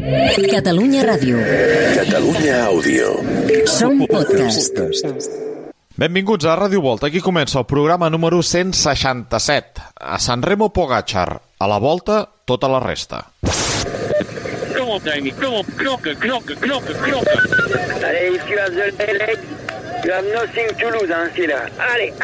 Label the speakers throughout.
Speaker 1: Catalunya Ràdio.
Speaker 2: Catalunya Àudio.
Speaker 1: Som podcast.
Speaker 3: Benvinguts a Ràdio Volta. Aquí comença el programa número 167. A Sanremo Pogačar. A la Volta, tota la resta.
Speaker 4: Kom op, Dani. Kom op. Knokken.
Speaker 5: Allez, Yves, tu as the leg. You have nothing to lose, hein, c'est là. Allez.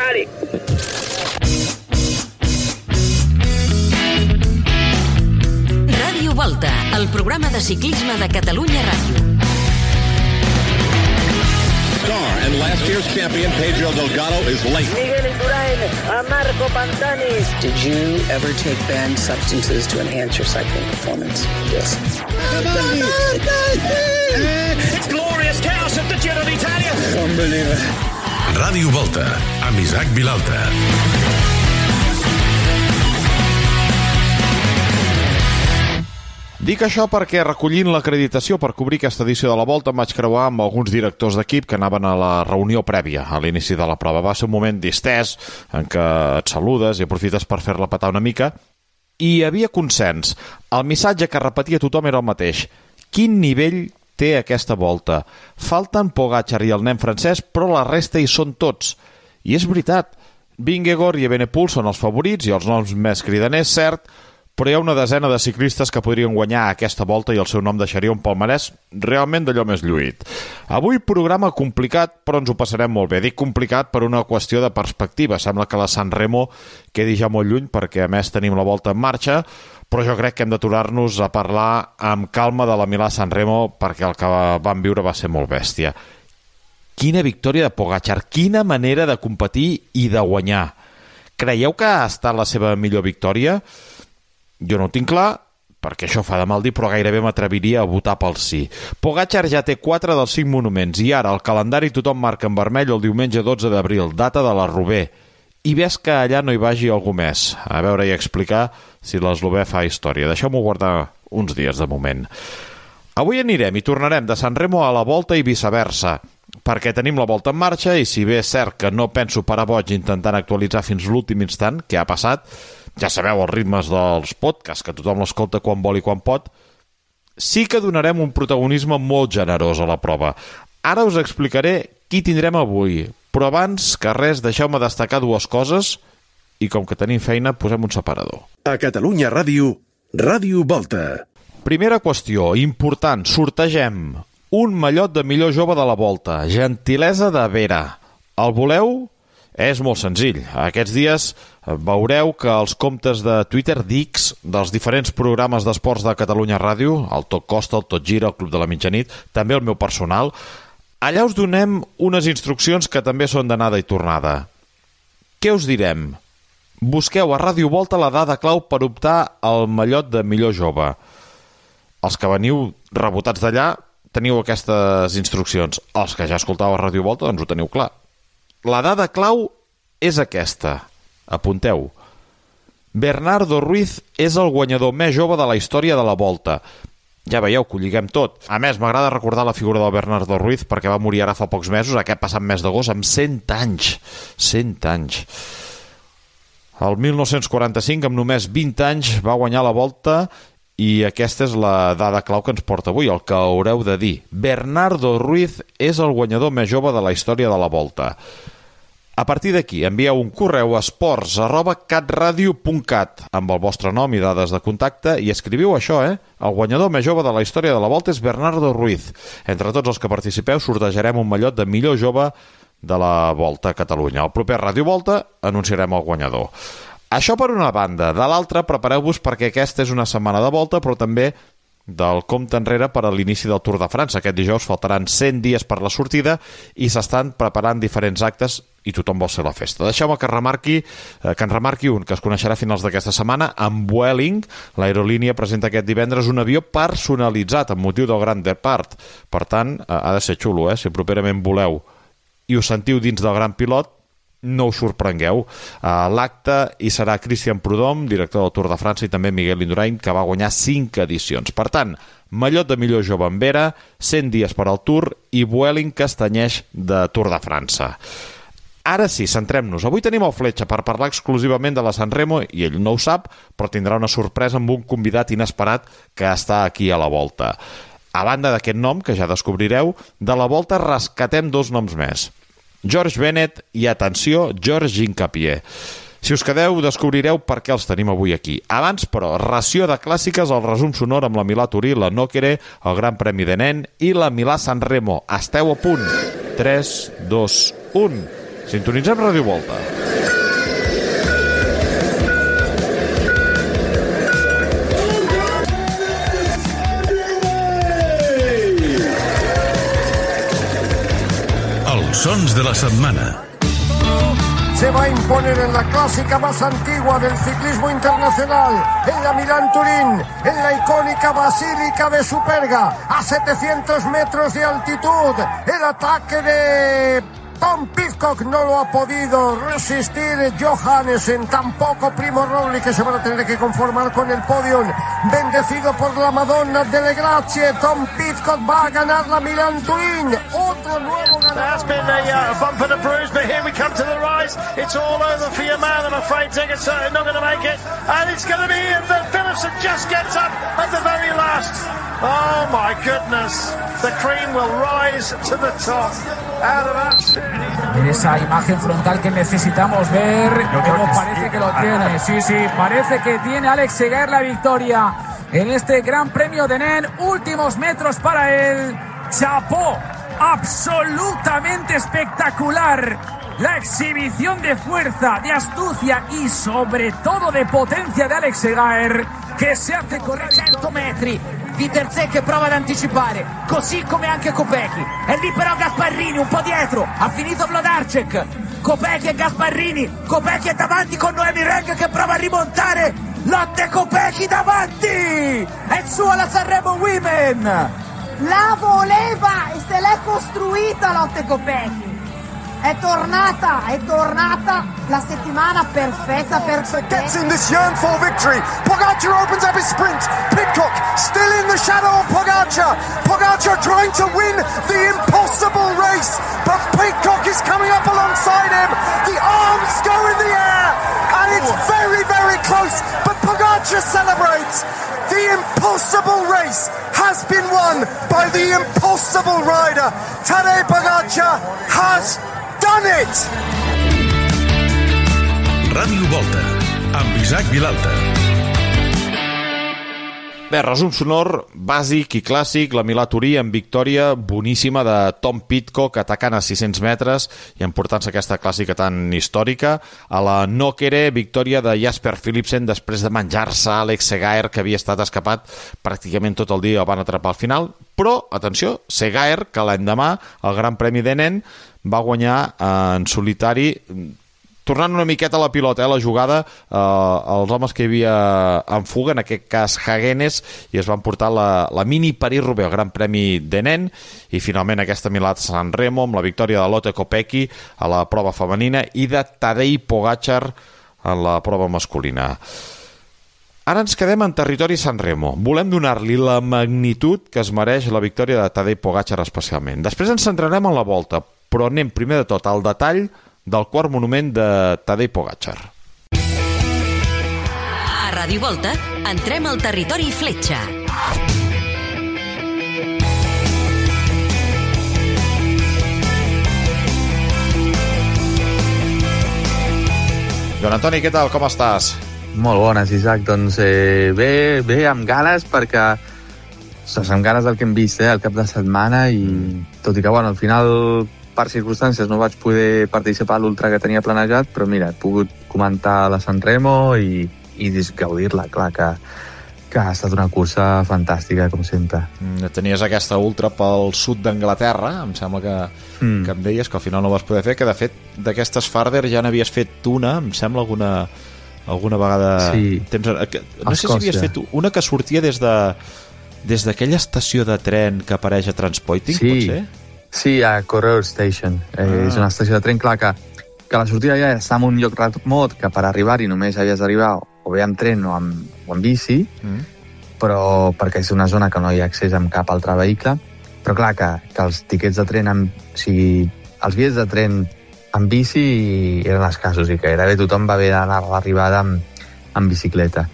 Speaker 1: Ràdio Volta, el programa de ciclisme de Catalunya Ràdio.
Speaker 6: And last year's champion Pedro Delgado is late.
Speaker 5: Miguel Indurain, Marco Pantani.
Speaker 7: Did you ever take banned substances to enhance your cycling performance? Yes.
Speaker 6: It's glorious chaos at the Giro d'Italia.
Speaker 7: Unbelievable.
Speaker 2: Ràdio Volta, amb Isaac Vilalta.
Speaker 3: Dic això perquè recollint l'acreditació per cobrir aquesta edició de la Volta em vaig creuar amb alguns directors d'equip que anaven a la reunió prèvia a l'inici de la prova. Va ser un moment distès en què et saludes i aprofites per fer-la petar una mica i hi havia consens. El missatge que repetia tothom era el mateix. Quin nivell té aquesta Volta? Falten Pogačar i el nen francès, però la resta hi són tots. I és veritat. Vingegaard i Evenepoel són els favorits i els noms més cridaners, cert, però hi ha una desena de ciclistes que podrien guanyar aquesta Volta i el seu nom deixaria un palmarès realment d'allò més lluït. Avui programa complicat, però ens ho passarem molt bé. Dic complicat per una qüestió de perspectiva. Sembla que la Sanremo quedi ja molt lluny perquè a més tenim la Volta en marxa, però jo crec que hem d'aturar-nos a parlar amb calma de la Milà-Sanremo perquè el que vam viure va ser molt bèstia. Quina victòria de Pogačar, quina manera de competir i de guanyar. Creieu que ha estat la seva millor victòria? Jo no ho tinc clar, perquè això fa de mal dir, però gairebé m'atreviria a votar pel sí. Pogačar ja té 4 dels 5 monuments i ara el calendari tothom marca en vermell el diumenge 12 d'abril, data de l'Eslovè. I ves que allà no hi vagi algú més. A veure i explicar si l'Eslovè fa història. Deixeu-m'ho guardar uns dies de moment. Avui anirem i tornarem de Sanremo a la Volta i viceversa, perquè tenim la Volta en marxa i si bé és cert que no penso parar boig intentant actualitzar fins l'últim instant, què ha passat, ja sabeu els ritmes dels podcasts, que tothom l'escolta quan vol i quan pot, sí que donarem un protagonisme molt generós a la prova. Ara us explicaré qui tindrem avui, però abans que res deixeu-me destacar 2 coses i com que tenim feina posem un separador.
Speaker 2: A Catalunya Ràdio, Ràdio Volta.
Speaker 3: Primera qüestió, important, sortegem un mallot de millor jove de la Volta, gentilesa de Vera. El voleu? És molt senzill. Aquests dies veureu que els comptes de Twitter d'X dels diferents programes d'esports de Catalunya Ràdio, el Tot Costa, el Tot Gira, el Club de la Mitjanit, també el meu personal, allà us donem unes instruccions que també són d'anada i tornada. Què us direm? Busqueu a Ràdio Volta la dada clau per optar al mallot de millor jove. Els que veniu rebotats d'allà teniu aquestes instruccions. Els que ja escoltau a Ràdio Volta doncs ho teniu clar. La dada clau és aquesta. Apunteu. Bernardo Ruiz és el guanyador més jove de la història de la Volta. Ja veieu que ho lliguem tot. A més, m'agrada recordar la figura del Bernardo Ruiz perquè va morir ara fa pocs mesos, aquest passat mes d'agost, amb 100 anys. 100 anys. El 1945, amb només 20 anys, va guanyar la Volta i aquesta és la dada clau que ens porta avui, el que haureu de dir. Bernardo Ruiz és el guanyador més jove de la història de la Volta. A partir d'aquí, envieu un correu a esports@catradio.cat amb el vostre nom i dades de contacte i escriviu això, El guanyador més jove de la història de la Volta és Bernardo Ruiz. Entre tots els que participeu sortejarem un mallot de millor jove de la Volta a Catalunya. Al proper Ràdio Volta anunciarem el guanyador. Això per una banda. De l'altra, prepareu-vos perquè aquesta és una setmana de Volta, però també del compte enrere per a l'inici del Tour de França. Aquest dijous faltaran 100 dies per la sortida i s'estan preparant diferents actes i tothom vol ser la festa. Deixeu-me que en remarqui un que es coneixerà a finals d'aquesta setmana. Amb Vueling, l'aerolínia presenta aquest divendres un avió personalitzat amb motiu del Grand Depart. Per tant, ha de ser xulo, si properament voleu i us sentiu dins del Gran Pilot, no us sorprengueu. A l'acte hi serà Christian Prudhomme, director del Tour de França, i també Miguel Indurain, que va guanyar 5 edicions. Per tant, mallot de millor jove en Vera, 100 dies per al Tour i Vueling que es tenyeix de Tour de França. Ara sí, centrem-nos. Avui tenim el Fletxa per parlar exclusivament de la Sanremo i ell no ho sap, però tindrà una sorpresa amb un convidat inesperat que està aquí a la Volta. A banda d'aquest nom, que ja descobrireu, de la Volta rescatem 2 noms més. George Bennett i, atenció, George Hincapie. Si us quedeu, descobrireu per què els tenim avui aquí. Abans, però, ració de clàssiques, el resum sonor amb la Milà-Turí, la Nokere, el Gran Premi de Nen i la Milà-Sanremo. Esteu a punt. 3, 2, 1... Sintonitzem Ràdio Volta.
Speaker 2: Els sons de la setmana.
Speaker 8: Se va a imponer en la clásica más antigua del ciclismo internacional, en la Milán-Turín, en la icónica Basílica de Superga, a 700 metros de altitud. El ataque de Tom Pidcock no lo ha podido resistir Johannessen, tampoco Primo Roglic, que se van a tener que conformar con el podium. Bendecido por la Madonna delle Grazie, Tom Pidcock va a ganar la Milán-Turín. Otro nuevo ganador.
Speaker 9: That's been a bumper to bruise, but here we come to the rise. It's all over for your man. I'm afraid Tigger's not going to make it. And it's going to be that Philipsen just gets up at the very last. Oh my goodness. The cream will rise to the top. Out of that.
Speaker 10: En esa imagen frontal que necesitamos ver, como parece que lo tiene. Sí, parece que tiene Alex Segaer la victoria en este Gran Premio de Nen. Últimos metros para él. Chapó, absolutamente espectacular. La exhibición de fuerza, de astucia y sobre todo de potenza de Alex Segaer, che si hace correre 100 metri. Viterzé che prova ad anticipare, così come anche Kopecky. E lì però Gasparrini un po' dietro, ha finito Wlodarczyk. Kopecky e Gasparrini, Kopecky è davanti con Noemi Reng che prova a rimontare. Lotte Kopecky davanti! È il suo la Sanremo Women!
Speaker 11: La voleva e se l'è costruita Lotte Kopecky. È tornata la settimana perfetta per
Speaker 8: Gets in this yearn for victory. Pogacar opens up his sprint. Pidcock still in the shadow of Pogacar. Pogacar trying to win the impossible race, but Pidcock is coming up alongside him. The arms go in the air, and it's very, very close. But Pogacar celebrates. The impossible race has been won by the impossible rider. Tadej Pogacar has done it!
Speaker 2: Ràdio Volta, amb Isaac Vilalta.
Speaker 3: Bé, resum sonor bàsic i clàssic, la Milà-Turí amb victòria boníssima de Tom Pidcock atacant a 600 metres i emportant-se aquesta clàssica tan històrica. A la Nokere, victòria de Jasper Philipsen després de menjar-se Alex Segaer, que havia estat escapat pràcticament tot el dia, el van atrapar al final. Però, atenció, Segaer, que l'endemà, el Gran Premi de Nen, va guanyar en solitari, tornant una miqueta a la pilota, la jugada, els homes que hi havia en fuga, en aquest cas Hagenes, i es van portar la mini París-Roubaix, el Gran Premi de Nen, i finalment aquesta Milà-Sanremo amb la victòria de Lotte Kopecky a la prova femenina i de Tadej Pogacar en la prova masculina. Ara ens quedem en territori Sanremo. Volem donar-li la magnitud que es mereix la victòria de Tadej Pogacar especialment. Després ens centrarem en la Volta, però anem primer de tot al detall del quart monument de Tadej Pogacar.
Speaker 1: A Ràdio Volta entrem al territori Fletxa.
Speaker 3: Joan Antoni, què tal? Com estàs?
Speaker 12: Molt bones, Isaac. Doncs bé, amb ganes, perquè amb ganes del que hem vist el cap de setmana, i tot i que, bueno, al final, per circumstàncies, no vaig poder participar a l'ultra que tenia planejat, però mira, he pogut comentar la Sanremo i gaudir-la, clar, que ha estat una cursa fantàstica, com sempre.
Speaker 3: Tenies aquesta ultra pel sud d'Anglaterra, em sembla que em deies que al final no vas poder fer, que de fet d'aquestes Farder ja n'havies fet una, em sembla, alguna vegada...
Speaker 12: Sí,
Speaker 3: no sé si havies fet una que sortia des d'aquella estació de tren que apareix a Transpoiting,
Speaker 12: sí,
Speaker 3: potser?
Speaker 12: Sí, a Correo Station. És una estació de tren, clar, que la sortida ja està en un lloc remot, que per arribar-hi només havies d'arribar o bé amb tren o amb bici, però perquè és una zona que no hi ha accés amb cap altre vehicle. Però clar, que els tiquets de tren, o sigui, els bitllets de tren en bici eren escassos i gairebé tothom va haver d'anar a l'arribada amb bicicleta.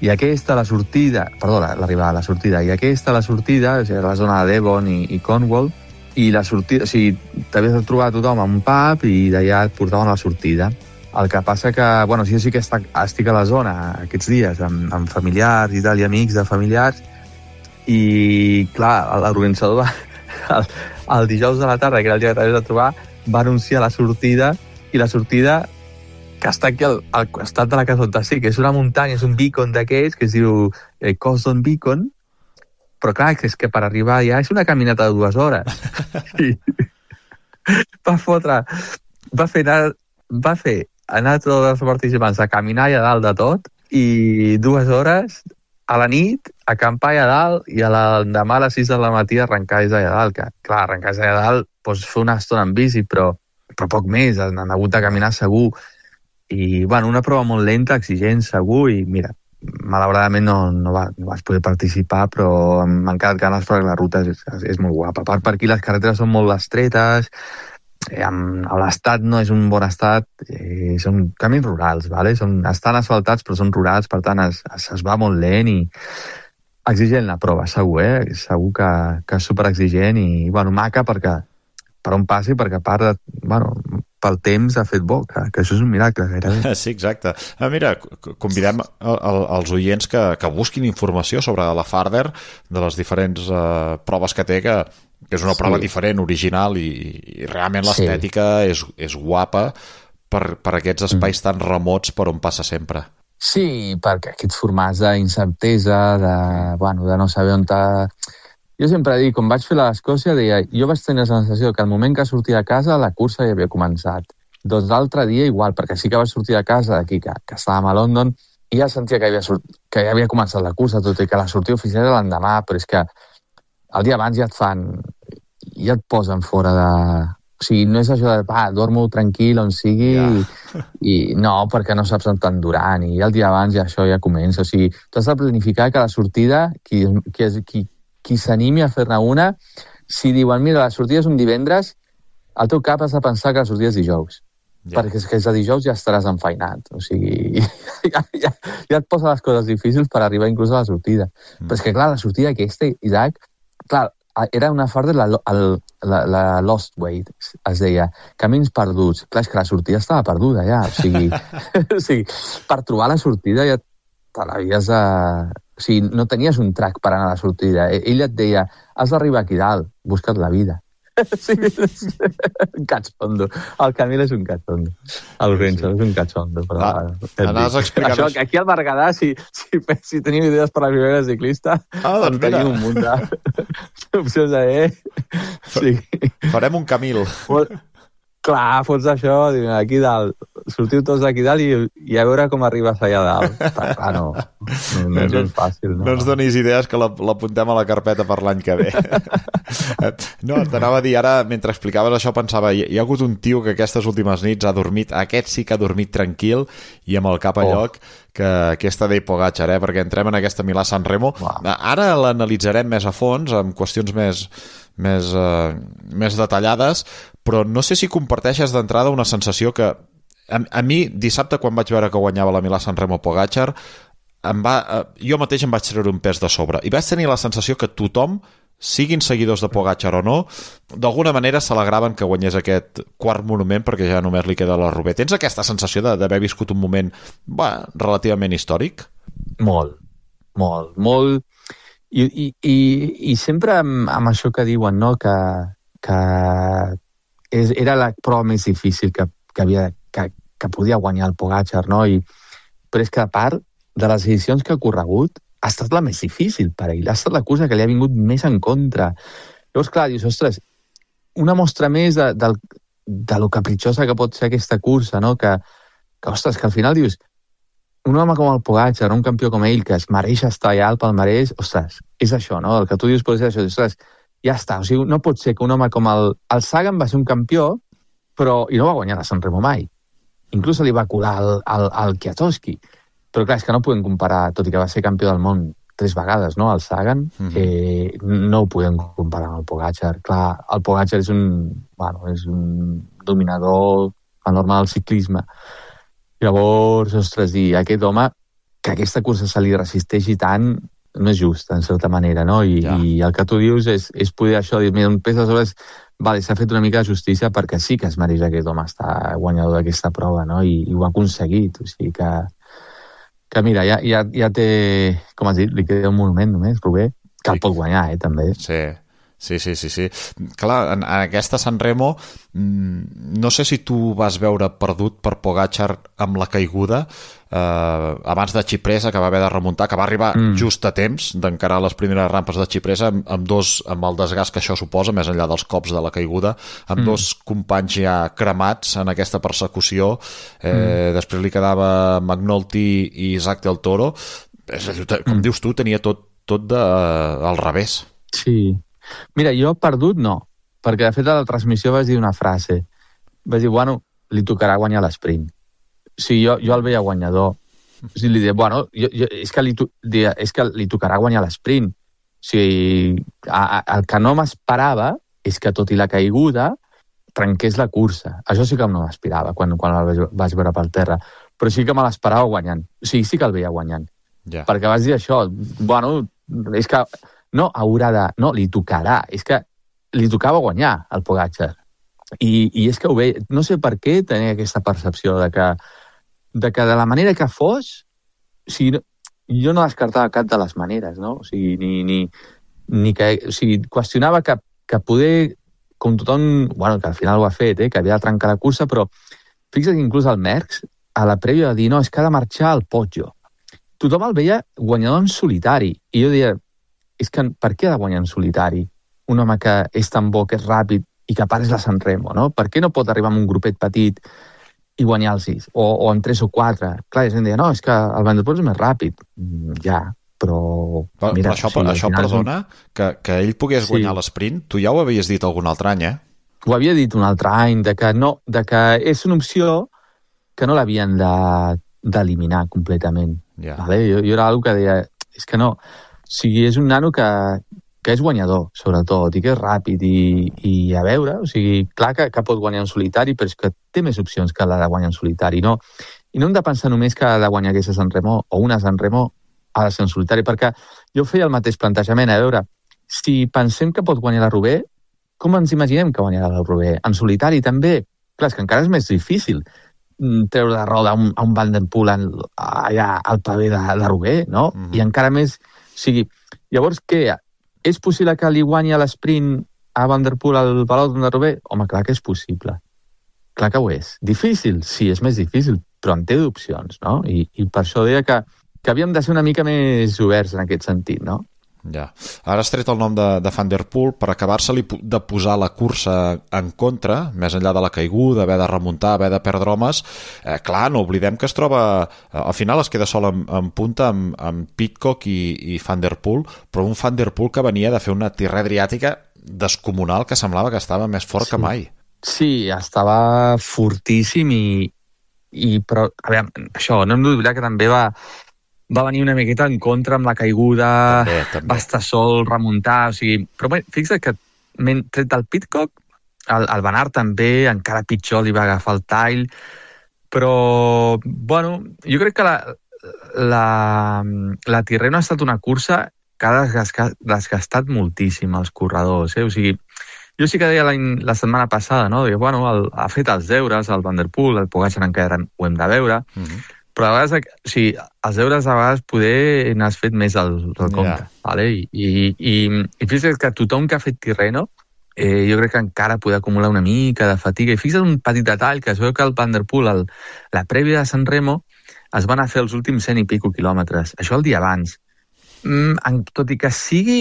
Speaker 12: I aquesta, la sortida, la sortida, o sigui, la zona de Devon i Cornwall, i la sortida, o sigui, t'havies de trobar tothom en un pub i d'allà et portaven a la sortida. El que passa que, bueno, jo sí que estic a la zona aquests dies, amb familiars i tal, i amics de familiars, i, clar, l'organitzador el dijous de la tarda, que era el dia que t'havies de trobar, va anunciar la sortida, i la sortida que està aquí al costat de la casa on estic, que és una muntanya, és un beacon d'aquests, que es diu Coston Beacon, però clar, és que per arribar allà és una caminata de 2 hores. I va fer anar tots els participants a caminar allà dalt de tot, i 2 hores a la nit, acampar allà dalt, i l'endemà a les 6 de la matí arrencar des d'allà dalt, que clar, arrencar des d'allà dalt, doncs fer una estona en bici, però poc més, han hagut de caminar segur. I, bueno, una prova molt lenta, exigent, segur, i mira, malauradament no vaig poder participar, però m'han quedat ganes perquè la ruta és molt guapa. A part, per aquí les carreteres són molt estretes, l'estat no és un bon estat, són camins rurals, ¿vale? Estan asfaltats però són rurals, per tant es va molt lent i exigent la prova, segur, segur que és superexigent i, bueno, maca perquè per on passi, perquè a part, bueno, pel temps ha fet bo, que això és un miracle gairebé.
Speaker 3: Sí, exacte. Mira, convidem els oients que busquin informació sobre la Farther, de les diferents proves que té, que és una prova diferent, original, i realment l'estètica és guapa per aquests espais tan remots per on passa sempre.
Speaker 12: Sí, perquè aquests formats d'incertesa, de no saber on t'ha... Jo sempre dic, quan vaig fer l'Escòcia, jo vaig tenir la sensació que al moment que sortia de casa la cursa ja havia començat. Doncs l'altre dia igual, perquè sí que vaig sortir de casa d'aquí, que estàvem a London, i ja sentia que ja havia començat la cursa, tot i que la sortida oficial era l'endemà, però és que el dia abans ja et posen fora de... O sigui, no és això de, dormo tranquil on sigui, i no, perquè no saps on t'han durant, i el dia abans ja això ja comença. O sigui, tu has de planificar que la sortida, qui s'animi a fer-ne una, si diuen, mira, la sortida és un divendres, al teu cap has de pensar que la sortida és dijous. Perquè és que de dijous ja estaràs enfeinat. O sigui, ja et posa les coses difícils per arribar inclús a la sortida. Però és que, clar, la sortida aquesta, Isaac, clar, era una Farther, la Lost Way, es deia, camins perduts. Clar, és que la sortida estava perduda ja. O sigui, per trobar la sortida ja te l'havies de... O sigui, no tenies un track per anar a la sortida. Ell et deia, has d'arribar aquí dalt, busca't la vida. Sí, un catxondo. El Camil és un catxondo. El Renzo és un catxondo.
Speaker 3: Anaves explicant...
Speaker 12: Això, aquí al Berguedà, si teniu idees per la primera ciclista, doncs tenim un munt d'opcions
Speaker 3: Sí. Farem un Camil.
Speaker 12: Clar, fots això, aquí dalt, sortiu tots d'aquí dalt i a veure com arribes allà dalt. Clar, no és fàcil.
Speaker 3: No ens donis idees, que l'apuntem a la carpeta per l'any que ve. No, t'anava a dir, ara, mentre explicaves això, pensava, hi ha hagut un tio que aquestes últimes nits ha dormit, aquest sí que ha dormit tranquil i amb el cap a lloc, que aquesta Tadej Pogačar, perquè entrem en aquesta Milà-San Remo. Ara l'analitzarem més a fons, amb qüestions més detallades, però no sé si comparteixes d'entrada una sensació que a mi, dissabte, quan vaig veure que guanyava la Milà-San Remo Pogačar, jo mateix em vaig treure un pes de sobre i vaig tenir la sensació que tothom, siguin seguidors de Pogačar o no, d'alguna manera s'alegraven que guanyés aquest quart monument, perquè ja només li queda la Roubaix. Tens aquesta sensació d'haver viscut un moment relativament històric?
Speaker 12: Molt. I sempre amb això que diuen, no?, que era la prova més difícil que podia guanyar el Pogačar, no? Però és que, a part de les edicions que ha corregut, ha estat la més difícil per ell, ha estat la cursa que li ha vingut més en contra. Llavors, clar, dius, ostres, una mostra més de lo capritxosa que pot ser aquesta cursa, no? Que ostres, que al final dius, un home com el Pogačar, un campió com ell, que es mereix estar allà al palmarès, ostres, és això, no? El que tu dius pot ser això, ostres, ja està, o sigui, no pot ser que un home com el Sagan va ser un campió, i no va guanyar la San Remo mai. Inclús li va colar al Kwiatkowski. Però clar, és que no podem comparar, tot i que va ser campió del món 3 vegades, no?, el Sagan, no ho podem comparar amb el Pogačar. Clar, el Pogačar és un dominador el normal del ciclisme. Llavors, ostres, dir, aquest home, que aquesta cursa se li resisteixi tant, no és just, en certa manera, no? I el que tu dius és poder això, dir, mira, un pes de sobres, vale, s'ha fet una mica de justícia perquè sí que es mereix aquest home estar guanyador d'aquesta prova, no? I ho ha aconseguit, o sigui que mira, ja té, com has dit, li queda un monument només, Rubé, que el pot guanyar, també.
Speaker 3: Sí. Clar, en aquesta Sanremo no sé si tu vas veure perdut per Pogačar amb la caiguda abans de Cipressa, que va haver de remuntar, que va arribar just a temps d'encarar les primeres rampes de Cipressa amb el desgast que això suposa, més enllà dels cops de la caiguda, amb dos companys ja cremats en aquesta persecució. Després li quedava McNulty i Isaac del Toro. Com dius tu, tenia tot al revés.
Speaker 12: Sí. Mira, jo perdut no, perquè de fet a la transmissió vaig dir una frase. Vaig dir, bueno, li tocarà guanyar l'esprint. O sigui, jo el veia guanyador. O sigui, li deia, bueno, és que li tocarà guanyar l'esprint. O sigui, el que no m'esperava és que, tot i la caiguda, trenqués la cursa. Això sí que no m'esperava quan el vaig veure pel terra. Però sí que me l'esperava guanyant. O sigui, sí que el veia guanyant. Perquè vas dir això, bueno, és que no haurà de... No, li tocarà. És que li tocava guanyar al Pogačar. I és que ho veia... No sé per què tenia aquesta percepció de que de la manera que fos, o sigui, jo no descartava cap de les maneres, no? O sigui, ni que... O sigui, qüestionava que poder, com tothom... Bueno, que al final ho ha fet, que havia de trencar la cursa, però fixa't que inclús el Merckx, a la prèvia, va dir, no, és que ha de marxar al Poggio. Tothom el veia guanyador en solitari. I jo deia, és que per què ha de guanyar en solitari un home que és tan bo, que és ràpid i que a part és la Sanremo, no? Per què no pot arribar amb un grupet petit i guanyar el 6? O en 3 o 4? Clar, la gent deia, no, és que el Van der Poel és més ràpid. Ja, però... Mira,
Speaker 3: però això perdona, que ell pogués guanyar l'esprint, tu ja ho havies dit algun altre any,
Speaker 12: Ho havia dit un altre any, de que és una opció que no l'havien d'eliminar completament. Vale? Jo era algú que deia, és que no... O sigui, és un nano que és guanyador, sobretot, i que és ràpid, i a veure, o sigui, clar que pot guanyar en solitari, però és que té més opcions que la de guanyar en solitari, no? I no hem de pensar només que ha de guanyar aquesta Sanremo, o una Sanremo ha de ser en solitari, perquè jo feia el mateix plantejament, a veure, si pensem que pot guanyar la Roubaix, com ens imaginem que guanyarà la Roubaix? En solitari també? Clar, és que encara és més difícil treure de roda a un Van der Poel allà al pavé de Roubaix, no? I encara més... O sigui, llavors què? És possible que li guanyi a l'esprint a Van der Poel al Velòdrom de Roubaix? Home, clar que és possible. Clar que ho és. Difícil? Sí, és més difícil, però en té d'opcions, no? I per això deia que havíem de ser una mica més oberts en aquest sentit, no?
Speaker 3: Ja. Ara has tret el nom de Van der Poel per acabar-se-li de posar la cursa en contra, més enllà de la caiguda, haver de remuntar, haver de perdre homes. Clar, no oblidem que es troba... Al final es queda sol en punta amb Pidcock i Van der Poel, però un Van der Poel que venia de fer una tirada adriàtica descomunal que semblava que estava més fort que mai.
Speaker 12: Sí, estava fortíssim però, a veure, això, no hem d'oblidar que també va venir una miqueta en contra amb la caiguda, també. Va estar sol, remuntar, o sigui... Però bé, fixa't que tret del Pidcock, el Van Aert també, encara pitjor, li va agafar el tall, però, bueno, jo crec que la Tirreno ha estat una cursa que ha desgastat moltíssim els corredors, O sigui, jo sí que deia la setmana passada, no? Deia, bueno, ha fet els deures, el Van der Poel, el Pogačar encara ho hem de veure, però a vegades, o sigui, els deures a vegades poder n'has fet més del compte, vale? I fixa't que tothom que ha fet Tirreno jo crec que encara poder acumular una mica de fatiga, i fixa't un petit detall, que es veu que el Van der Poel, la prèvia de Sanremo, es van a fer els últims 100 i pico quilòmetres, això el dia abans, tot i que sigui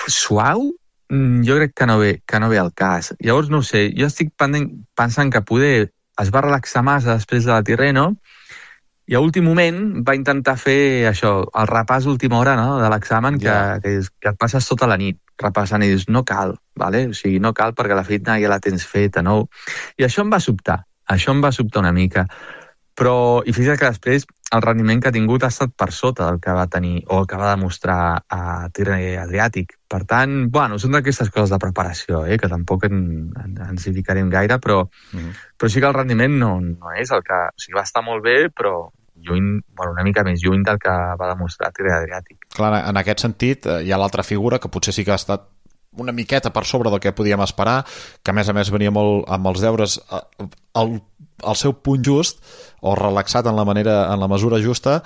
Speaker 12: suau, jo crec que no ve al cas. Llavors, no ho sé, jo estic pensant que poder es va relaxar massa després de la Tirreno i a últim moment va intentar fer això, el repàs d'última hora, no?, de l'examen, que et passes tota la nit repassant i dius, no cal, vale? O sigui, no cal perquè la feina ja la tens feta, no? I això em va sobtar una mica. Però, i fixa't que després el rendiment que ha tingut ha estat per sota del que va tenir o el que va demostrar a Tirreno Adriàtic. Per tant, bueno, són d'aquestes coses de preparació, que tampoc ens hi ficarem gaire, però sí que el rendiment no és el que... O sigui, va estar molt bé, però una mica més lluny del que va demostrar Tirreno Adriàtic.
Speaker 3: Clar, en aquest sentit, hi ha l'altra figura que potser sí que ha estat una miqueta per sobre del que podíem esperar, que a més venia molt amb els deures al seu punt just o relaxat en la mesura justa.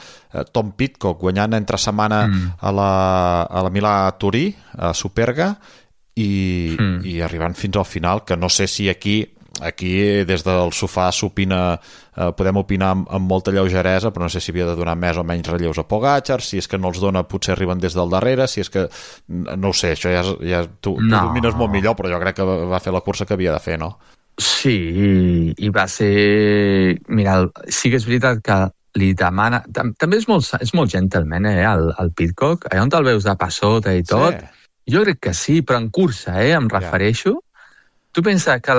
Speaker 3: Tom Pidcock guanyant entre setmana a la Milà-Turí, a Superga, i arribant fins al final, que no sé si aquí des del sofà podem opinar amb molta lleugeresa, però no sé si havia de donar més o menys relleus a Pogačar, si és que no els dona, potser arriben des del darrere, si és que... No ho sé, això ja tu domines molt millor, però jo crec que va fer la cursa que havia de fer, no?
Speaker 12: Sí, i va ser... Mira, sí que és veritat que li demana... També és molt gentleman, el Pidcock. Allà on te'l veus de passota i tot, jo crec que sí, però en cursa, em refereixo. Tu pensa que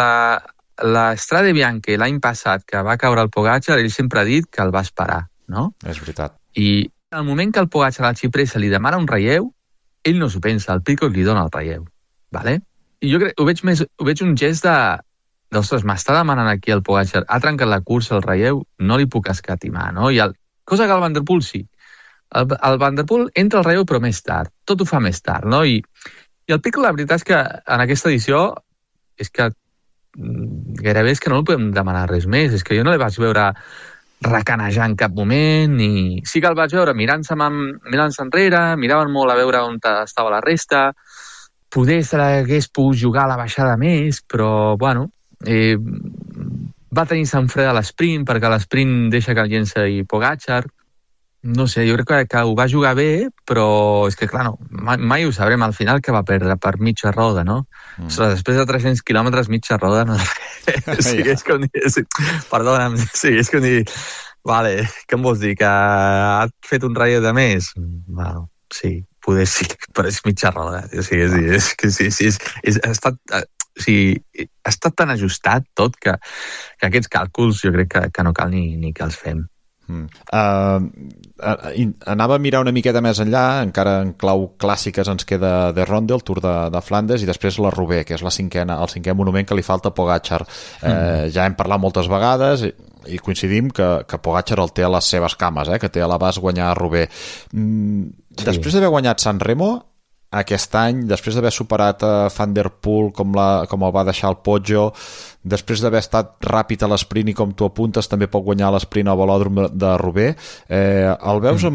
Speaker 12: la Strade Bianche l'any passat, que va caure el Pogačar, ell sempre ha dit que el va esperar, no?
Speaker 3: És veritat.
Speaker 12: I al moment que el Pogačar a la xipressa li demana un relleu, ell no s'ho pensa, el Pidcock li dona el relleu, ¿vale? I jo crec, ho veig un gest d'ostres, m'està demanant aquí el Pogačar, ha trencat la cursa, el relleu, no li puc escatimar, no? Cosa que el Van der Poel sí. El Van der Poel entra al relleu però més tard, tot ho fa més tard, no? I el Pidcock, la veritat és que en aquesta edició és que gairebé és que no li podem demanar res més, és que jo no li vaig veure recanejar en cap moment, ni... Sí que el vaig veure mirant-se enrere, miraven molt a veure on estava la resta, poder se l'hagués pogut jugar a la baixada més, però, bueno, va tenir Sant Fred a l'esprint, perquè l'esprint deixa que el llença i Pogačar. No sé, jo crec que ho va jugar bé, però és que, clar, no, mai ho sabrem al final que va perdre per mitja roda, no? Ostres, després de 300 quilòmetres mitja roda, no? Sí, és com dir... Perdona'm, sí, és com dir... Vale, què em vols dir, que ha fet un relleu de més? Bueno, sí, poder sí, però és mitja roda. O sigui, és que sí, ha estat tan ajustat tot que aquests càlculs jo crec que no cal ni que els fem.
Speaker 3: Anava a mirar una miqueta més enllà, encara en clau clàssiques ens queda de Ronde, el Tour de Flandes, i després la Roubaix, que és el cinquè monument que li falta a Pogačar. Ja hem parlat moltes vegades i coincidim que Pogačar el té a les seves cames, que té a l'abast guanyar a Roubaix. Després d'haver guanyat San Remo aquest any, després d'haver superat a Van der Poel com el va deixar el Poggio, després d'haver estat ràpid a l'esprint i com tu apuntes també pot guanyar l'esprint al velòdrom de Roubaix, el veus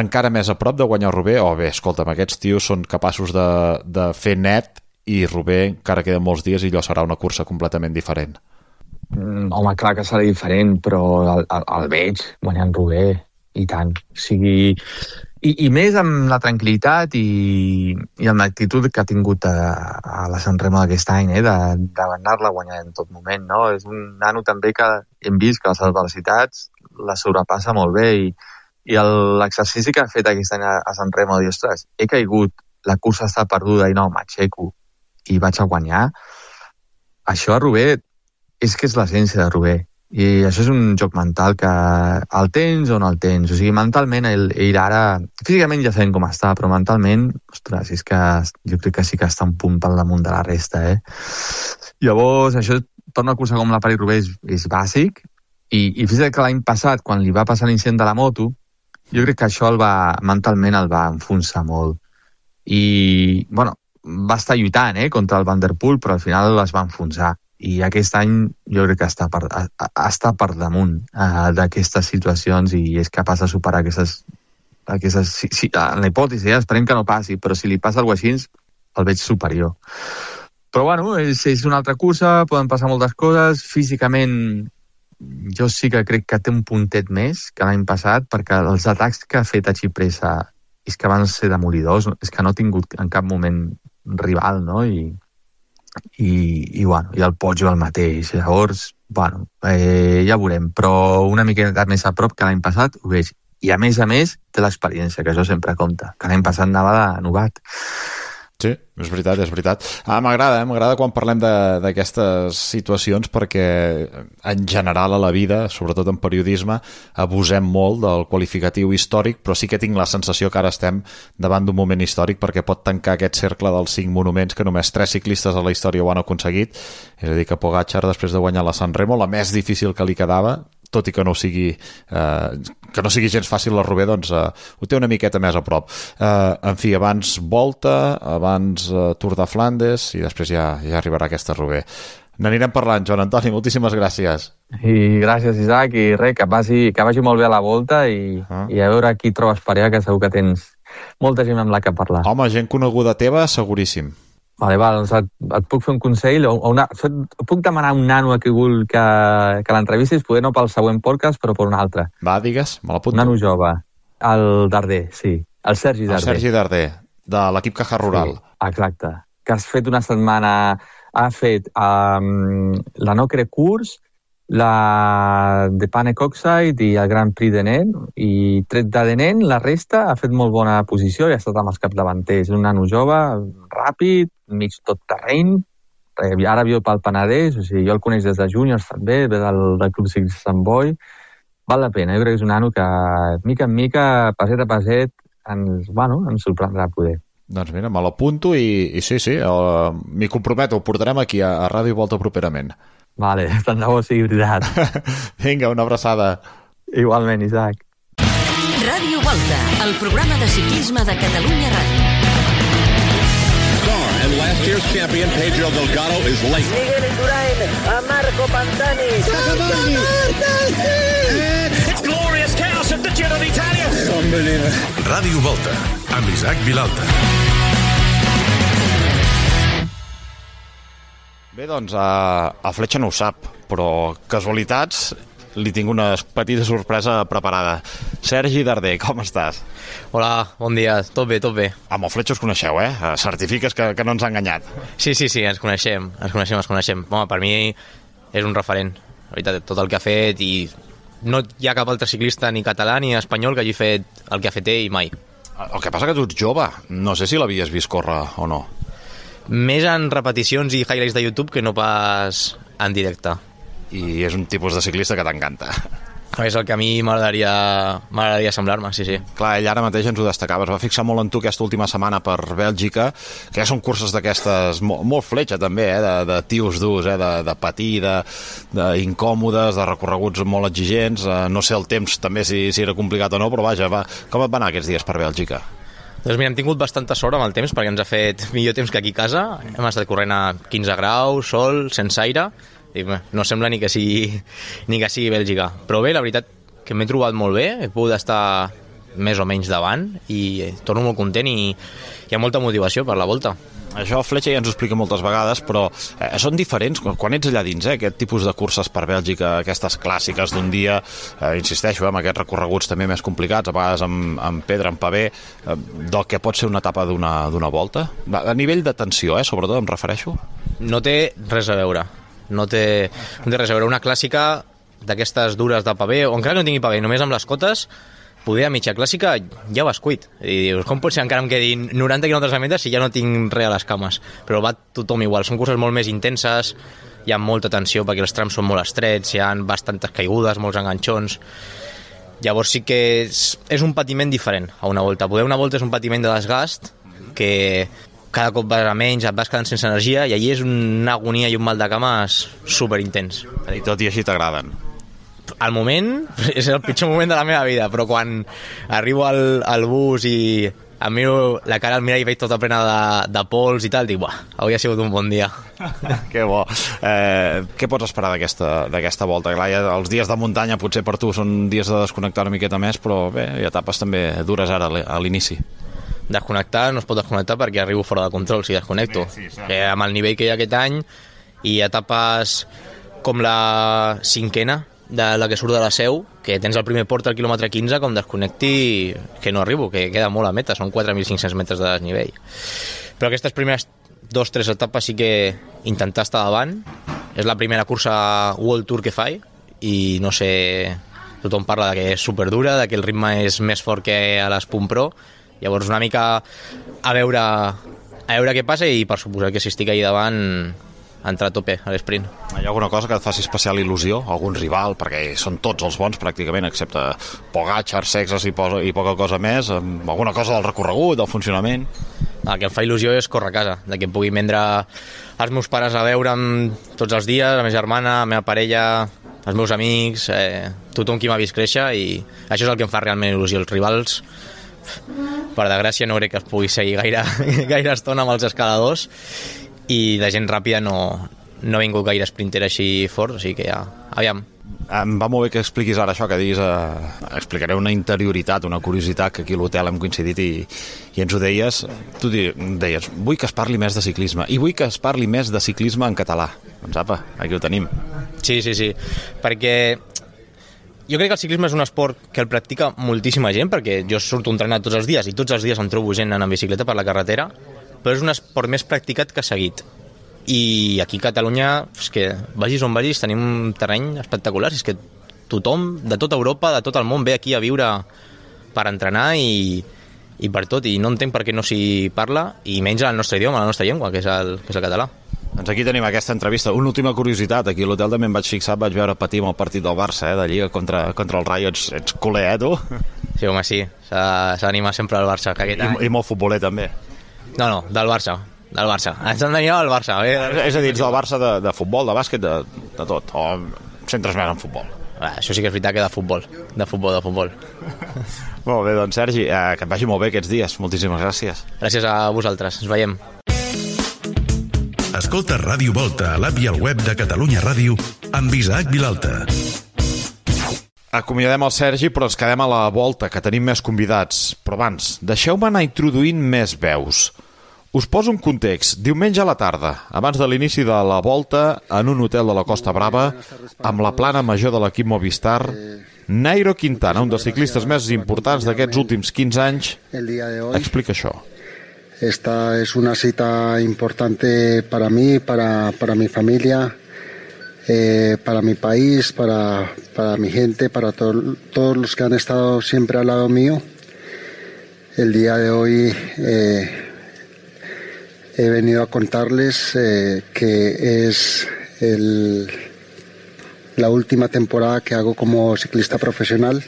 Speaker 3: encara més a prop de guanyar Roubaix? Bé, escolta'm, aquests tios són capaços de fer net i Roubaix encara queden molts dies i allò serà una cursa completament diferent.
Speaker 12: Home, clar que serà diferent, però el veig guanyant Roubaix i tant, o sigui... I més amb la tranquil·litat i amb l'actitud que ha tingut a la San Remo d'aquest any, d'anar-la guanyant en tot moment, no? És un nano també que hem vist que les adversitats la sobrepassa molt bé i l'exercici que ha fet aquest any a San Remo, de dir, ostres, he caigut, la cursa està perduda i no, m'aixeco i vaig a guanyar. Això a Roubaix és que és l'essència de Roubaix. I això és un joc mental que el tens o no el tens. O sigui, mentalment ell ara... Físicament ja sabem com està, però mentalment, ostres, és que jo crec que sí que està un punt per damunt de la resta, Llavors, això per una cursa com la París-Roubaix és bàsic i fins que l'any passat, quan li va passar l'incident de la moto, jo crec que això mentalment el va enfonsar molt. I, bueno, va estar lluitant, contra el Van der Poel, però al final es va enfonsar. I aquest any jo crec que està per damunt d'aquestes situacions i és capaç de superar aquestes en la hipòtesi, esperem que no passi, però si li passa alguna cosa així, el veig superior. Però bueno, és una altra cursa, poden passar moltes coses, físicament jo sí que crec que té un puntet més que l'any passat, perquè els atacs que ha fet a Xipressa és que van ser demolidors, és que no ha tingut en cap moment rival, no? I el Poggio el mateix. Llavors, ja veurem, però una miqueta més a prop que l'any passat ho veig. I a més té l'experiència, que això sempre compta, que l'any passat anava de novat.
Speaker 3: Sí, és veritat. M'agrada quan parlem d'aquestes situacions perquè en general a la vida, sobretot en periodisme, abusem molt del qualificatiu històric, però sí que tinc la sensació que ara estem davant d'un moment històric perquè pot tancar aquest cercle dels 5 monuments que només 3 ciclistes a la història ho han aconseguit. És a dir, que Pogačar, després de guanyar la Sanremo, la més difícil que li quedava, tot i que no sigui gens fàcil la Roubaix, doncs ho té una miqueta més a prop. En fi, abans Volta, abans Tour de Flandes i després ja arribarà aquesta Roubaix. N'anirem parlant, Joan Antoni, moltíssimes gràcies.
Speaker 12: I gràcies, Isaac, i res, que vagi molt bé a la Volta i a veure qui trobes per allà, que segur que tens molta gent amb la que parlar.
Speaker 3: Home, gent coneguda teva, seguríssim.
Speaker 12: Vale, doncs et puc fer un consell puc demanar a un nano que l'entrevistis, poder no pel següent podcast, però per un altre.
Speaker 3: Va, digues, me l'apunto.
Speaker 12: Un nano jove, el Darder, sí, el Sergi Darder.
Speaker 3: El Sergi Darder, de l'equip Caja Rural.
Speaker 12: Sí, exacte, que has fet una setmana, ha fet la Nocre Course, la de Pane Coxide i el Grand Prix de Nen, i tret de Nen, la resta ha fet molt bona posició i ha estat amb els capdavanters. És un nano jove, ràpid, mig tot terreny, ara viu pel Penedès, o sigui, jo el coneix des de júniors també, ve del Club Ciclista Sant Boi. Val la pena, jo crec que és un nano que mica en mica, passet a passet, ens sorprendrà poder.
Speaker 3: Doncs mira, me l'apunto i sí, m'hi comprometo, ho portarem aquí a Ràdio Volta properament.
Speaker 12: Vale, tant de bo sigui veritat.
Speaker 3: Vinga, una abraçada.
Speaker 12: Igualment, Isaac.
Speaker 1: Ràdio Volta, el programa de ciclisme de Catalunya Ràdio.
Speaker 6: And last year's champion, Pedro Delgado, is late.
Speaker 5: Miguel Indurain, a Marco Pantani.
Speaker 9: It's glorious chaos at the Giro d'Italia.
Speaker 2: Unbelievable. Ràdio Volta, amb Isaac Vilalta.
Speaker 3: Bé, doncs, a Fletxa no ho sap, però casualitats, li tinc una petita sorpresa preparada. Sergi Darder, com estàs?
Speaker 13: Hola, bon dia, tot bé.
Speaker 3: Amb el Fletxa us coneixeu, certifiques que no ens ha enganyat.
Speaker 13: Sí, ens coneixem. Home, per mi és un referent, la veritat, tot el que ha fet, i no hi ha cap altre ciclista ni català ni espanyol que hagi fet el que ha fet ell mai.
Speaker 3: El que passa que tu ets jove, no sé si l'havies vist córrer o no.
Speaker 13: Més en repeticions i highlights de YouTube que no pas en directe.
Speaker 3: I és un tipus de ciclista que t'encanta.
Speaker 13: És el que a mi m'agradaria semblar-me, sí.
Speaker 3: Clar, ell ara mateix ens ho destacava, es va fixar molt en tu aquesta última setmana per Bèlgica, que ja són curses d'aquestes molt Fletxa també, de tios durs, de patir, d'incòmodes, de recorreguts molt exigents. No sé el temps també si era complicat o no, però vaja, com et va anar aquests dies per Bèlgica?
Speaker 13: Doncs mira, hem tingut bastanta sort amb el temps, perquè ens ha fet millor temps que aquí a casa. Hem estat corrent a 15 graus, sol, sense aire, i no sembla ni que sigui Bèlgica. Però bé, la veritat que m'he trobat molt bé, he pogut estar més o menys davant i torno molt content i hi ha molta motivació per la volta.
Speaker 3: Això Fletxa ja ens ho explica moltes vegades, però són diferents quan ets allà dins, aquest tipus de curses per Bèlgica, aquestes clàssiques d'un dia, insisteixo, amb aquests recorreguts també més complicats, a vegades amb pedra, amb pavé, del que pot ser una etapa d'una volta. A nivell de tensió, sobretot em refereixo.
Speaker 13: No té res a veure. No té res a veure. Una clàssica d'aquestes dures de pavé, o encara no tingui pavé, només amb les cotes, poder a mitja clàssica ja vas cuit. I dius, com pot ser encara em quedin 90 quilòmetres a metres si ja no tinc res a les cames? Però va tothom igual, són curses molt més intenses, hi ha molta tensió perquè els trams són molt estrets, hi ha bastantes caigudes, molts enganxons. Llavors sí que és un patiment diferent a una volta. Poder una volta és un patiment de desgast que cada cop vas a menys, et vas quedant sense energia, i allí és una agonia i un mal de cames superintens.
Speaker 3: I tot i així t'agraden?
Speaker 13: Al moment és el pitjor moment de la meva vida, però quan arribo al bus i em miro la cara al mirall i veig tota plena de pols i tal, dic, avui ha sigut un bon dia.
Speaker 3: Que bo. Què pots esperar d'aquesta volta? Clar, els dies de muntanya potser per tu són dies de desconnectar una miqueta més, però bé, hi ha etapes també dures ara a l'inici.
Speaker 13: Desconnectar no es pot desconnectar perquè arribo fora de control si desconnecto. Amb el nivell que hi ha aquest any i etapes com la 5ena de la que surt de la Seu, que tens el primer port al quilòmetre 15, com desconnecti que no arribo, que queda molt a meta, són 4.500 metres de desnivell. Però aquestes primeres 2-3 etapes sí que intentar estar davant. És la primera cursa World Tour que faig i no sé, tothom parla de que és superdura, de que el ritme és més fort que a les Punt Pro. Llavors una mica a veure a veure què passa, i per suposar que si estic allà davant entrar a tope a l'esprint.
Speaker 3: Hi ha alguna cosa que et faci especial il·lusió? Algun rival? Perquè són tots els bons pràcticament, excepte Pogačar, Sexas i poca cosa més. Alguna cosa del recorregut, del funcionament?
Speaker 13: El que em fa il·lusió és córrer a casa, de que em pugui vendre els meus pares a veure'm tots els dies, la meva germana, la meva parella, els meus amics, tothom qui m'ha vist créixer, i això és el que em fa realment il·lusió. Els rivals, per desgràcia, no crec que es pugui seguir gaire estona amb els escaladors, i de gent ràpida no ha vingut gaire sprinter així fort, o sigui que ja, aviam.
Speaker 3: Em va molt bé que expliquis ara això, que diguis, explicaré una interioritat, una curiositat, que aquí a l'hotel hem coincidit i ens ho deies. Tu deies, vull que es parli més de ciclisme, i vull que es parli més de ciclisme en català. Doncs apa, aquí ho tenim.
Speaker 13: Sí, perquè jo crec que el ciclisme és un esport que el practica moltíssima gent, perquè jo surto a entrenar tots els dies, i tots els dies em trobo gent anant en bicicleta per la carretera, però és un esport més practicat que seguit. I aquí a Catalunya, és que vagis on vagis, tenim un terreny espectacular, és que tothom de tota Europa, de tot el món, ve aquí a viure per entrenar i per tot, i no entenc per què no s'hi parla, i menys el nostre idioma, la nostra llengua, que és el català.
Speaker 3: Doncs aquí tenim aquesta entrevista. Una última curiositat, aquí a l'hotel també em vaig fixar, vaig veure patir amb el partit del Barça, de Lliga contra el Rayo. Ets culer, tu?
Speaker 13: Sí, home, sí, s'ha d'animar sempre al Barça, que aquest any.
Speaker 3: I molt futboler, també.
Speaker 13: No, del Barça. Ens han d'animar al Barça.
Speaker 3: És a dir, del Barça de futbol, de bàsquet, de tot, o centres més en futbol?
Speaker 13: Això sí que és veritat, que de futbol.
Speaker 3: Molt bé, doncs Sergi, que et vagi molt bé aquests dies. Moltíssimes gràcies.
Speaker 13: Gràcies a vosaltres, ens veiem.
Speaker 2: Escolta Ràdio Volta a l'app i al web de Catalunya Ràdio amb Isaac Vilalta.
Speaker 3: Acomiadem el Sergi, però ens quedem a la Volta, que tenim més convidats. Però abans, deixeu-me anar introduint més veus. Us poso un context. Diumenge a la tarda, abans de l'inici de la Volta, en un hotel de la Costa Brava, amb la plana major de l'equip Movistar, Nairo Quintana, un dels ciclistes més importants d'aquests últims 15 anys, explica això.
Speaker 14: Esta es una cita importante para mí, para mi familia, para mi país, para mi gente, para todos los que han estado siempre al lado mío. El día de hoy he venido a contarles que es la última temporada que hago como ciclista profesional.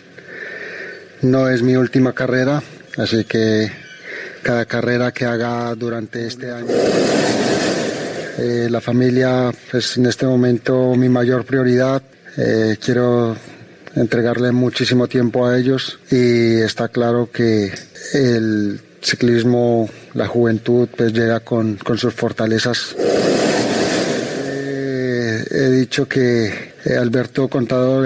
Speaker 14: No es mi última carrera, así que cada carrera que haga durante este año, la familia es en este momento mi mayor prioridad. Quiero entregarle muchísimo tiempo a ellos, y está claro que el ciclismo, la juventud, pues llega con sus fortalezas. He dicho que Alberto Contador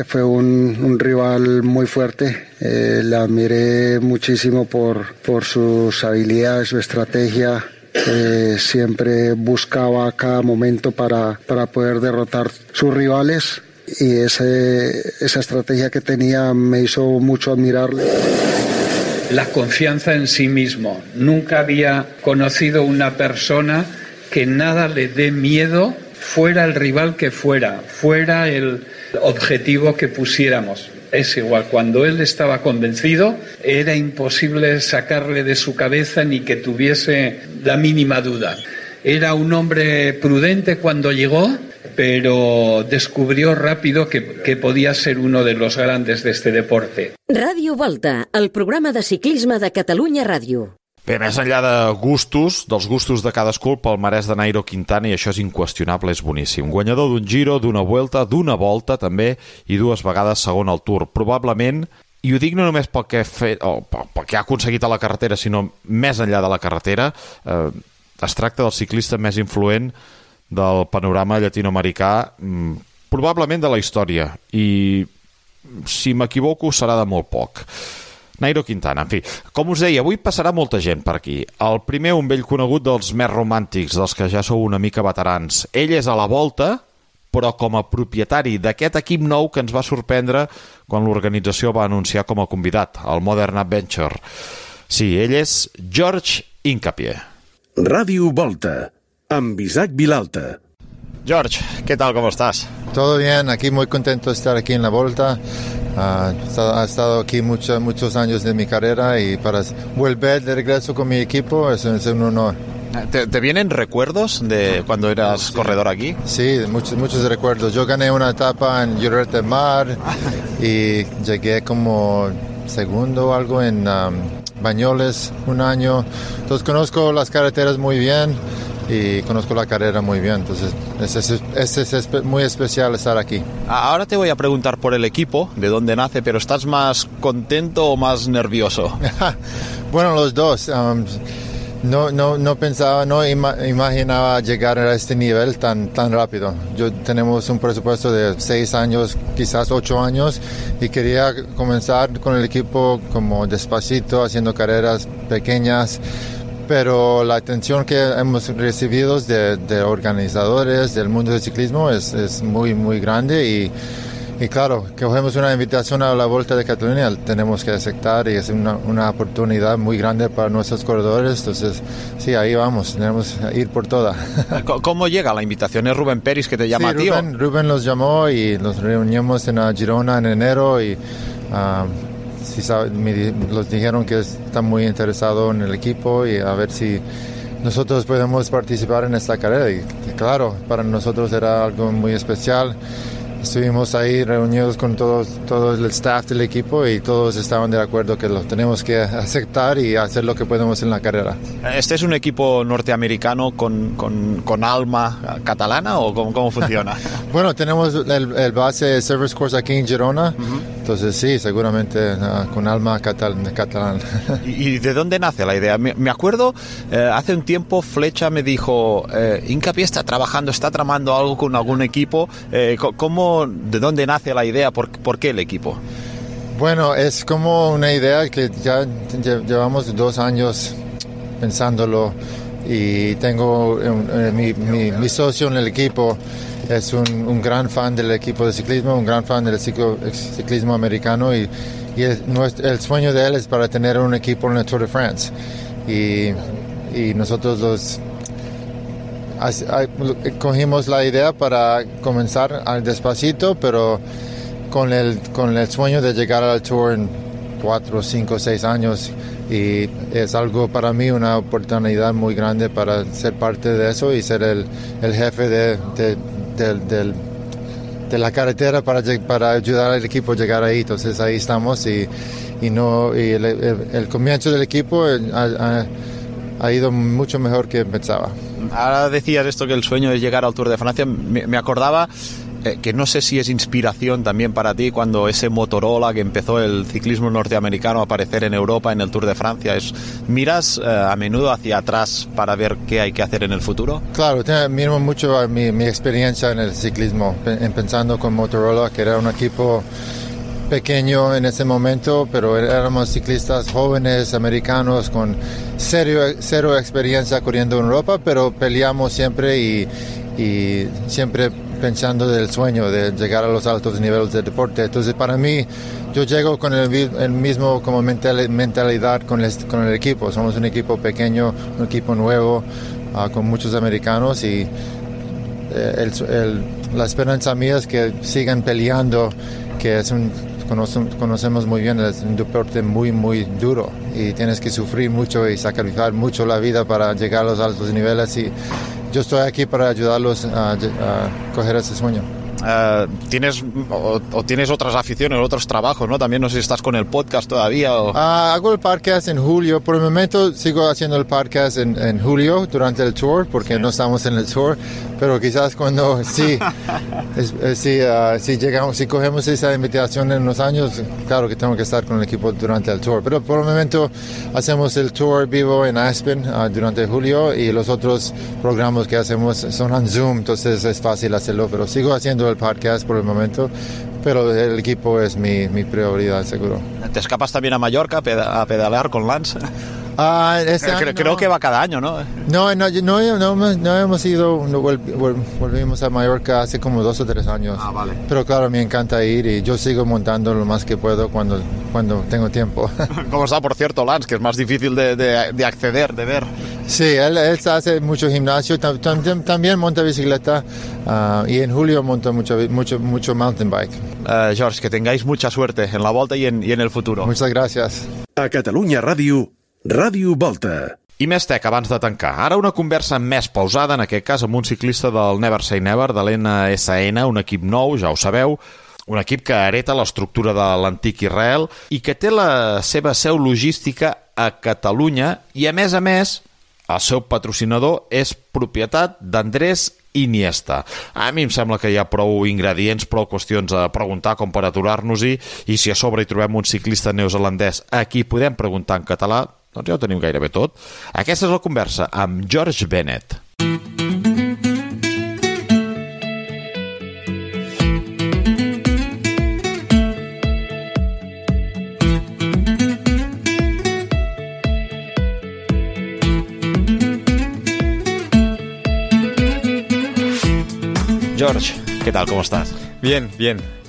Speaker 14: fue un rival muy fuerte. Le admiré muchísimo por sus habilidades, su estrategia. Siempre buscaba a cada momento para poder derrotar sus rivales, y esa estrategia que tenía me hizo mucho admirarle.
Speaker 15: La confianza en sí mismo. Nunca había conocido una persona que nada le dé miedo, fuera el rival que fuera el objetivo que pusiéramos. Es igual, cuando él estaba convencido, era imposible sacarle de su cabeza ni que tuviese la mínima duda. Era un hombre prudente cuando llegó, pero descubrió rápido que podía ser uno de los grandes de este deporte.
Speaker 1: Ràdio Volta, el programa de ciclisme de Catalunya Ràdio.
Speaker 3: Bé, més enllà de gustos, dels gustos de cadascú, el palmarès de Nairo Quintana, i això és inqüestionable, és boníssim. Guanyador d'un Giro, d'una Vuelta, d'una Volta també, i 2 vegades segon al Tour. Probablement, i ho dic no només pel que ha aconseguit a la carretera, sinó més enllà de la carretera, es tracta del ciclista més influent del panorama llatinoamericà, probablement de la història, i si m'equivoco serà de molt poc. Nairo Quintana, en fi, com us deia, avui passarà molta gent per aquí. El primer, un vell conegut dels més romàntics, dels que ja sou una mica veterans. Ell és a la Volta, però com a propietari d'aquest equip nou que ens va sorprendre quan l'organització va anunciar com a convidat, el Modern Adventure. Sí, ell és George Hincapie.
Speaker 2: Ràdio Volta, amb Isaac Vilalta.
Speaker 3: George, ¿qué tal? ¿Cómo estás?
Speaker 16: Todo bien, aquí muy contento de estar aquí en la Volta. Ha estado aquí muchos años de mi carrera y para volver de regreso con mi equipo es un honor.
Speaker 3: ¿Te vienen recuerdos de cuando eras corredor aquí?
Speaker 16: Sí, muchos recuerdos. Yo gané una etapa en Lloret de Mar y llegué como segundo o algo en Bañoles un año. Entonces conozco las carreteras muy bien y conozco la carrera muy bien. Entonces es muy especial estar aquí.
Speaker 3: Ahora te voy a preguntar por el equipo, de dónde nace, pero ¿estás más contento o más nervioso?
Speaker 16: Bueno, los dos. No pensaba, no imaginaba llegar a este nivel tan rápido. Tenemos un presupuesto de 6 años, quizás 8 años, y quería comenzar con el equipo como despacito, haciendo carreras pequeñas, pero la atención que hemos recibido de organizadores del mundo del ciclismo es muy, muy grande y claro, que cogemos una invitación a la Volta de Cataluña, tenemos que aceptar y es una oportunidad muy grande para nuestros corredores. Entonces, sí, ahí vamos, tenemos que ir por toda.
Speaker 3: ¿Cómo llega la invitación? ¿Es Rubén Peris que te llama a ti?
Speaker 16: Rubén los llamó y nos reunimos en Girona en enero y los dijeron que están muy interesados en el equipo y a ver si nosotros podemos participar en esta carrera. Y claro, para nosotros era algo muy especial. Estuvimos ahí reunidos con todo el staff del equipo y todos estaban de acuerdo que lo tenemos que aceptar y hacer lo que podemos en la carrera.
Speaker 3: ¿Este es un equipo norteamericano con alma catalana o cómo funciona?
Speaker 16: Bueno, tenemos el base Service Course aquí en Girona, entonces sí, seguramente con alma catalana.
Speaker 3: ¿Y de dónde nace la idea? Me acuerdo, hace un tiempo Flecha me dijo, Incapié está tramando algo con algún equipo. ¿De dónde nace la idea? ¿Por qué el equipo?
Speaker 16: Bueno, es como una idea que ya llevamos 2 años pensándolo y tengo mi socio en el equipo es un gran fan del equipo de ciclismo, un gran fan del ciclismo americano y el sueño de él es para tener un equipo en el Tour de France y nosotros cogimos la idea para comenzar despacito, pero con el sueño de llegar al Tour en 4, 5, 6 años y es algo para mí una oportunidad muy grande para ser parte de eso y ser el jefe de la carretera para ayudar al equipo a llegar ahí. Entonces ahí estamos y el comienzo del equipo ha ido mucho mejor que pensaba.
Speaker 3: Ahora decías esto, que el sueño es llegar al Tour de Francia. Me acordaba que no sé si es inspiración también para ti cuando ese Motorola que empezó el ciclismo norteamericano a aparecer en Europa en el Tour de Francia. ¿Miras a menudo hacia atrás para ver qué hay que hacer en el futuro?
Speaker 16: Claro, miro mucho a mi experiencia en el ciclismo, pensando con Motorola, que era un equipo pequeño en ese momento, pero éramos ciclistas jóvenes, americanos, con cero experiencia corriendo en Europa, pero peleamos siempre y siempre pensando del sueño de llegar a los altos niveles del deporte. Entonces para mí, yo llego con el mismo como mentalidad con el equipo. Somos un equipo pequeño, un equipo nuevo, con muchos americanos y la esperanza mía es que sigan peleando, que conocemos muy bien, es un deporte muy, muy duro y tienes que sufrir mucho y sacrificar mucho la vida para llegar a los altos niveles y yo estoy aquí para ayudarlos a coger ese sueño.
Speaker 3: ¿Tienes otras aficiones, otros trabajos, ¿no? También no sé si estás con el podcast todavía o...
Speaker 16: Hago el podcast en julio. Por el momento sigo haciendo el podcast en julio durante el tour porque no estamos en el tour, pero quizás cuando si cogemos esa invitación en unos años, claro que tengo que estar con el equipo durante el tour, pero por el momento hacemos el tour vivo en Aspen durante julio y los otros programas que hacemos son en Zoom, entonces es fácil hacerlo, pero sigo haciendo el podcast por el momento, pero el equipo es mi prioridad, seguro.
Speaker 3: ¿Te escapas también a Mallorca a pedalear con Lance? Creo que va cada año, ¿no?
Speaker 16: No hemos ido, volvimos a Mallorca hace como 2 o 3 años.
Speaker 3: Vale.
Speaker 16: Pero claro, me encanta ir y yo sigo montando lo más que puedo cuando tengo tiempo.
Speaker 3: ¿Cómo está, por cierto, Lance? Que es más difícil de acceder, de ver.
Speaker 16: Sí, él hace mucho gimnasio, también monta bicicleta y en julio monta mucho mountain bike.
Speaker 3: George, que tengáis mucha suerte en la Volta y en el futuro.
Speaker 16: Muchas gracias.
Speaker 2: A Catalunya Ràdio, Ràdio Volta.
Speaker 3: I més tec abans de tancar. Ara una conversa més pausada, en aquest cas amb un ciclista del Never Say Never, de l'NSN, un equip nou, ja ho sabeu, un equip que hereta l'estructura de l'antic Israel i que té la seva seu logística a Catalunya i, a més, el seu patrocinador és propietat d'Andrés Iniesta. A mi em sembla que hi ha prou ingredients, prou qüestions a preguntar com per aturar-nos-hi, i si a sobre hi trobem un ciclista neozelandès a qui podem preguntar en català, doncs ja ho tenim gairebé tot. Aquesta és la conversa amb George Bennett. George, ¿qué tal? ¿Cómo estás?
Speaker 17: Bien.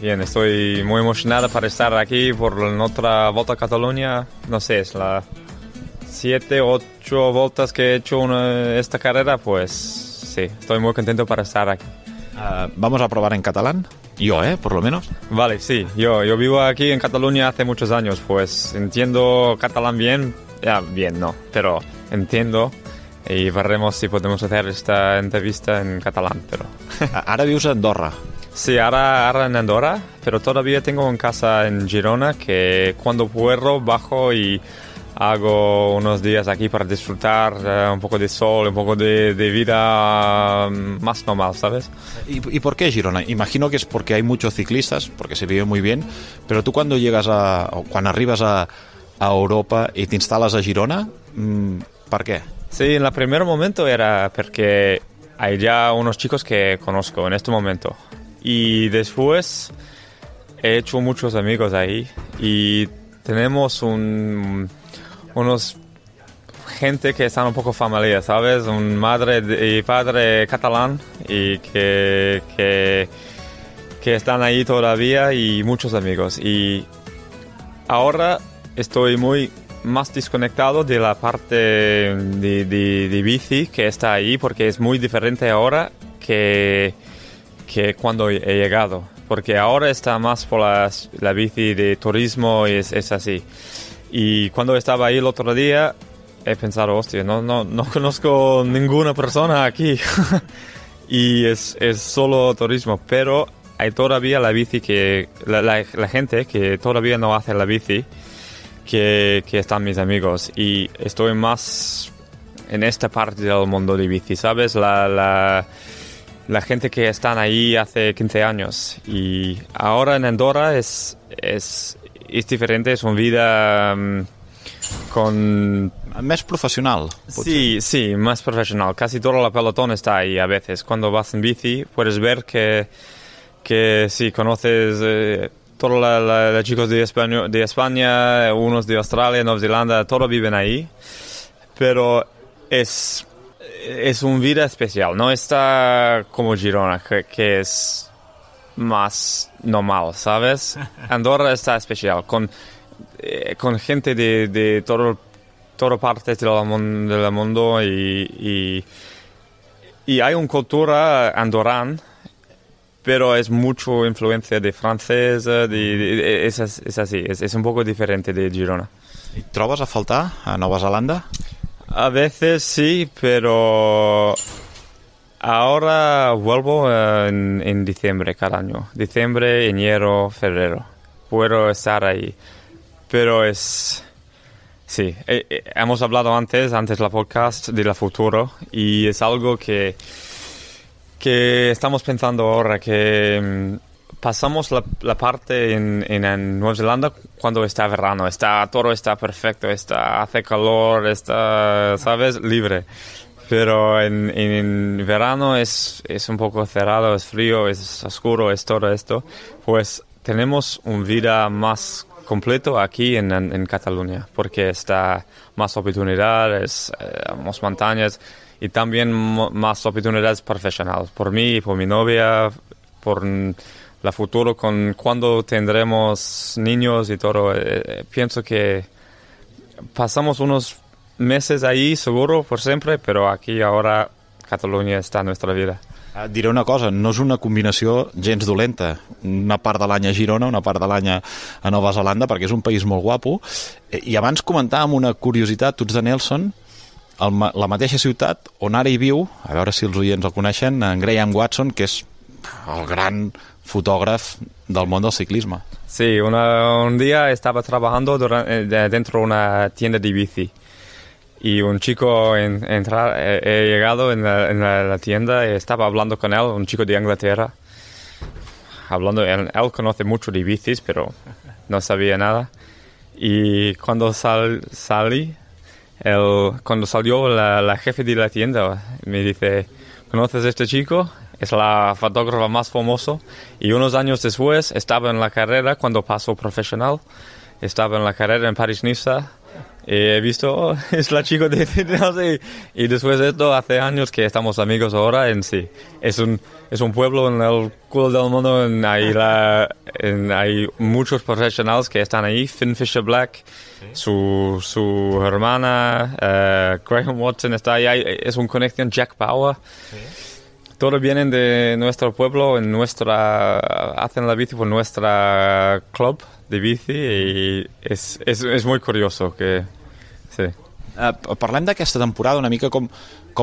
Speaker 17: Estoy muy emocionado para estar aquí por nuestra Volta a Cataluña. No sé, es la 7, 8 vueltas que he hecho esta carrera, pues sí, estoy muy contento para estar aquí.
Speaker 3: ¿Vamos a probar en catalán? Yo, por lo menos.
Speaker 17: Vale, sí, yo vivo aquí en Cataluña hace muchos años, pues entiendo catalán bien, no, pero entiendo. Y veremos si podemos hacer esta entrevista en catalán, pero...
Speaker 3: Ahora vives en Andorra.
Speaker 17: Sí, ahora en Andorra, pero todavía tengo en casa en Girona, que cuando puedo bajo y hago unos días aquí para disfrutar un poco de sol, un poco de vida más normal, ¿sabes?
Speaker 3: ¿Y por qué Girona? Imagino que es porque hay muchos ciclistas, porque se vive muy bien, pero tú cuando arribas a Europa y te instalas a Girona, ¿por qué?
Speaker 17: Sí, en el primer momento era porque hay ya unos chicos que conozco en este momento. Y después he hecho muchos amigos ahí y tenemos unos gente que están un poco familia, ¿sabes? Un madre y padre catalán y que están ahí todavía y muchos amigos. Y ahora estoy más desconectado de la parte de bici que está ahí, porque es muy diferente ahora que cuando he llegado, porque ahora está más por la bici de turismo y es así. Y cuando estaba ahí el otro día he pensado, hostia, no conozco ninguna persona aquí y es solo turismo, pero hay todavía la bici que la gente que todavía no hace la bici, que están mis amigos, y estoy más en esta parte del mundo de bici, ¿sabes? La gente que están ahí hace 15 años, y ahora en Andorra es diferente, es una vida con...
Speaker 3: Más profesional.
Speaker 17: Sí, más profesional. Casi todo el pelotón está ahí a veces. Cuando vas en bici puedes ver que si conoces... todos los chicos de España, unos de Australia, Nueva Zelanda, todos viven ahí. Pero es una vida especial. No está como Girona, que es más normal, ¿sabes? Andorra está especial, con gente de todas partes del mundo y hay una cultura andorrana, pero es mucho influencia de francés, es así, es un poco diferente de Girona.
Speaker 3: ¿Y trobas a faltar a Nueva Zelanda?
Speaker 17: A veces sí, pero ahora vuelvo en diciembre cada año. Diciembre, enero, febrero. Puedo estar ahí, pero es... Sí, hemos hablado antes la podcast del futuro, y es algo que estamos pensando ahora, que pasamos la parte en Nueva Zelanda cuando está verano, todo está perfecto, hace calor, está, ¿sabes?, libre. Pero en verano es un poco cerrado, es frío, es oscuro, es todo esto. Pues tenemos una vida más completo aquí en Cataluña, porque está más oportunidades, más montañas y también más oportunidades profesionales, por mí y por mi novia, por la futuro, cuando tendremos niños y todo. Pienso que pasamos unos meses ahí seguro por siempre, pero aquí ahora Catalunya està en nuestra vida.
Speaker 3: Diré una cosa, no és una combinació gens dolenta. Una part de l'any a Girona, una part de l'any a Nova Zelanda, perquè és un país molt guapo. I abans comentàvem una curiositat, tu ets de Nelson, la mateixa ciutat on ara hi viu, a veure si els oients el coneixen, en Graham Watson, que és el gran fotògraf del món del ciclisme.
Speaker 17: Sí, un día estaba trabajando dentro de una tienda de bici. Y un chico he llegado en la tienda y estaba hablando con él, un chico de Inglaterra. Él conoce mucho de bicis, pero no sabía nada. Y cuando cuando salió la jefe de la tienda, me dice, ¿conoces a este chico? Es la fotógrafa más famosa. Y unos años después estaba en la carrera, cuando pasó profesional, estaba en la carrera en París-Niza. He visto, es la chica de y después de esto, hace años que estamos amigos ahora en sí. Es un pueblo en el culo del mundo, hay muchos profesionales que están ahí. Finn Fisher Black, su hermana, Graham Watson está ahí, es una conexión, Jack Bauer. Sí. Todos vienen de nuestro pueblo, hacen la bici por nuestra club de bici i és molt curioso que... Sí.
Speaker 3: Parlem d'aquesta temporada una mica com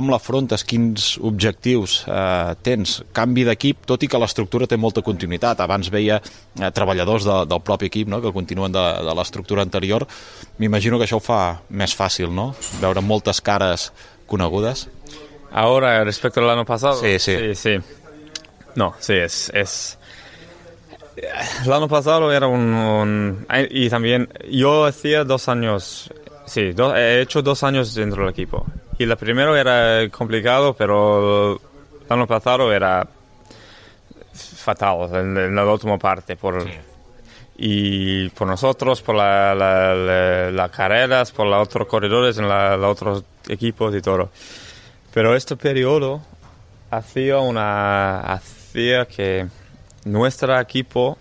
Speaker 3: l'afrontes, quins objectius tens, canvi d'equip, tot i que l'estructura té molta continuïtat. Abans veia treballadors del propi equip, no?, que continuen de l'estructura anterior. M'imagino que això ho fa més fàcil, no?, veure moltes cares conegudes.
Speaker 17: Ahora, respecto al año pasado.
Speaker 3: Sí.
Speaker 17: No, sí, es... El año pasado era y también yo hacía 2 años... Sí, he hecho 2 años dentro del equipo. Y la primero era complicado, pero el año pasado era fatal en la última parte. Y por nosotros, por las carreras, por los otros corredores en los otros equipos y todo. Pero este periodo hacía que nuestro equipo,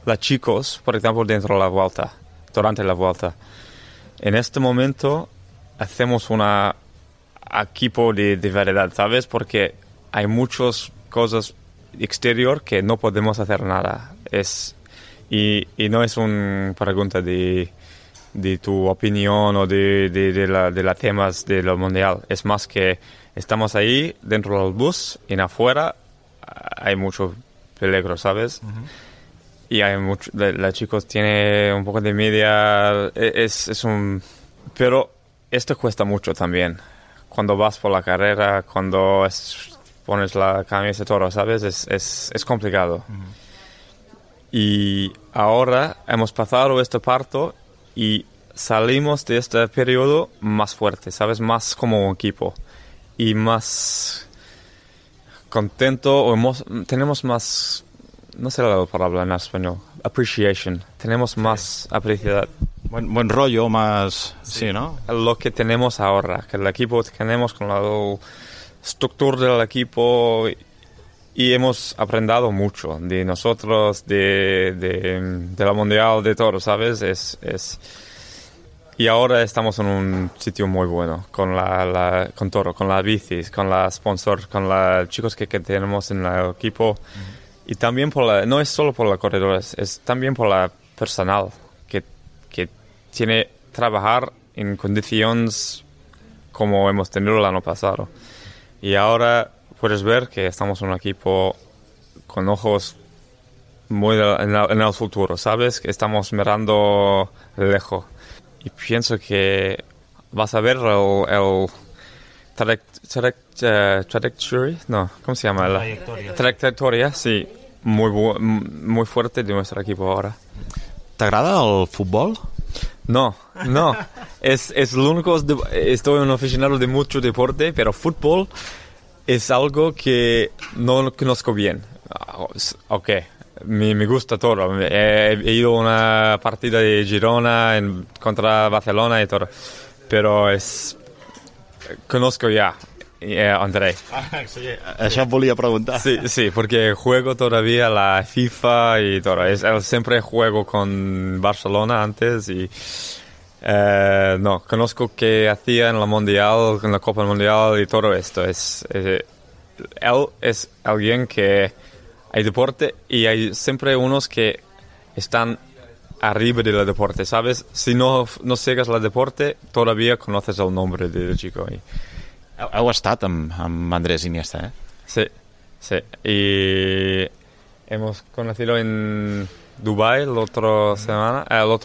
Speaker 17: los chicos, por ejemplo, dentro de la vuelta, durante la vuelta, en este momento hacemos un equipo de verdad, ¿sabes? Porque hay muchas cosas exterior que no podemos hacer nada. Y no es una pregunta de tu opinión o de los temas de lo mundial. Es más que estamos ahí dentro del bus y afuera hay mucho peligro, ¿sabes? Uh-huh. Y hay mucho, los chicos tienen un poco de media, pero esto cuesta mucho también. Cuando vas por la carrera, cuando pones la camisa y todo, ¿sabes? Es complicado. Uh-huh. Y ahora hemos pasado este parto y salimos de este periodo más fuerte, ¿sabes? Más como un equipo. Y más contento, tenemos más, no sé la palabra en español, appreciation, tenemos más apreciación.
Speaker 3: Buen rollo, más, sí, ¿no?
Speaker 17: Lo que tenemos ahora, que el equipo tenemos con la estructura del equipo y hemos aprendido mucho de nosotros, de la mundial, de todo, ¿sabes? Y ahora estamos en un sitio muy bueno, con todo, con las bicis, con la sponsor, con los chicos que tenemos en el equipo. Uh-huh. Y también no es solo por los corredores, es también por la personal, que tiene trabajar en condiciones como hemos tenido el año pasado. Y ahora puedes ver que estamos en un equipo con ojos muy en el futuro, ¿sabes? Que estamos mirando lejos. Y pienso que vas a ver el trajectory, no, ¿cómo se llama? Trayectoria, sí, muy fuerte de nuestro equipo ahora.
Speaker 3: ¿Te agrada el fútbol?
Speaker 17: No. Es lo único, estoy un aficionado de mucho deporte, pero fútbol es algo que no conozco bien. Ok, me gusta todo. He ido a una partida de Girona contra Barcelona y todo. Pero conozco ya André.
Speaker 3: Sí, això em volia preguntar.
Speaker 17: Sí, porque juego todavía la FIFA y todo. Siempre juego con Barcelona antes y no, conozco que hacía en la Mundial, en la Copa Mundial y todo esto. Él es alguien que hay deporte y hay siempre unos que están arriba del deporte, ¿sabes? Si no sigues el deporte, todavía conoces el nombre del chico.
Speaker 3: Heu estat amb Andrés Iniesta, ¿eh?
Speaker 17: Sí. Y hemos conocido en Dubái el otro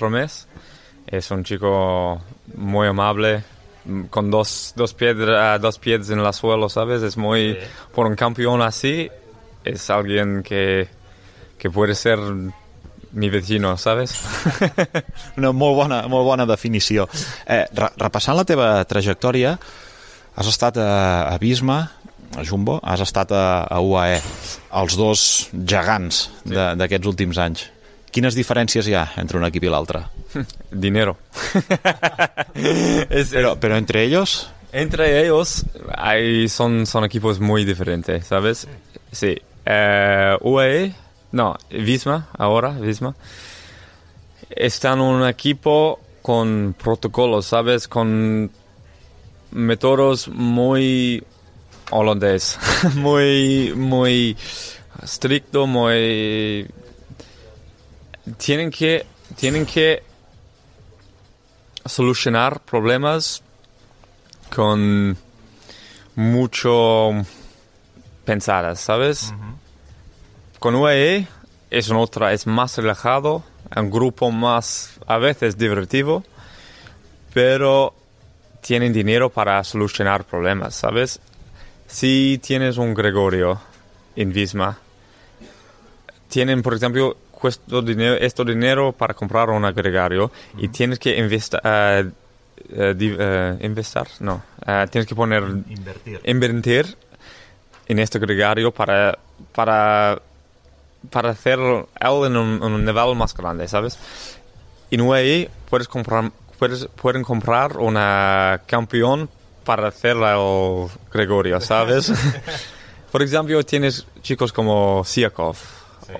Speaker 17: mes. Es un chico muy amable, con dos pies en el suelo, ¿sabes? Es muy... Sí. Por un campeón así, es alguien que puede ser mi vecino, ¿sabes?
Speaker 3: Una molt bona definició. Repassant la teva trajectòria, has estat a Visma, a Jumbo, has estat a UAE, els dos gegants d'aquests últims anys. Quines diferències hi ha entre un equip i l'altre?
Speaker 17: Dinero.
Speaker 3: Pero entre ellos...
Speaker 17: Entre ellos son equipos muy diferentes, ¿sabes? Sí. UAE, no, Visma, están en un equipo con protocolos, ¿sabes? Con métodos muy holandés, muy estricto, muy... Tienen que solucionar problemas con mucho pensadas, ¿sabes? Uh-huh. Con UAE es más relajado, un grupo más a veces divertido, pero tienen dinero para solucionar problemas, ¿sabes? Si tienes un Gregorio en Visma, tienen, por ejemplo, este dinero para comprar un Gregorio y tienes que tienes que invertir en este Gregorio para hacer él en un nivel más grande, ¿sabes? En UAE pueden comprar una campeón para hacer el Gregorio, ¿sabes? Por ejemplo, tienes chicos como Siakov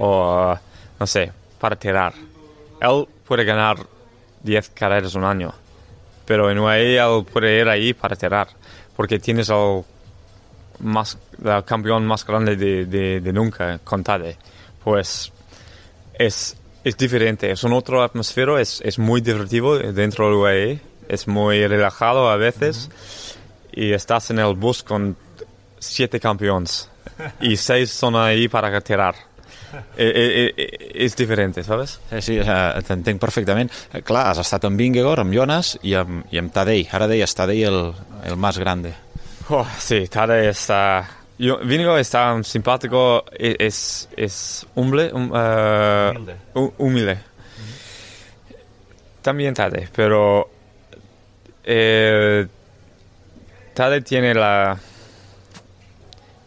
Speaker 17: o, no sé, para tirar. Él puede ganar 10 carreras un año, pero en UAE él puede ir ahí para tirar, porque tienes el campeón más grande de nunca, con Tade. Pues es diferente, es un otro atmósfero, es muy divertido dentro del UAE, es muy relajado a veces, y estás en el bus con 7 campeones y 6 son ahí para tirar. És diferent, ¿sabes?
Speaker 3: Sí, t'entenc perfectament. Clar, has estat amb Vingegaard, amb Jonas i amb Tadej. Ara deies Tadej el más grande.
Speaker 17: Sí, Tadej está... Vingegaard está simpático, es humilde. También Tadej, pero Tadej tiene la...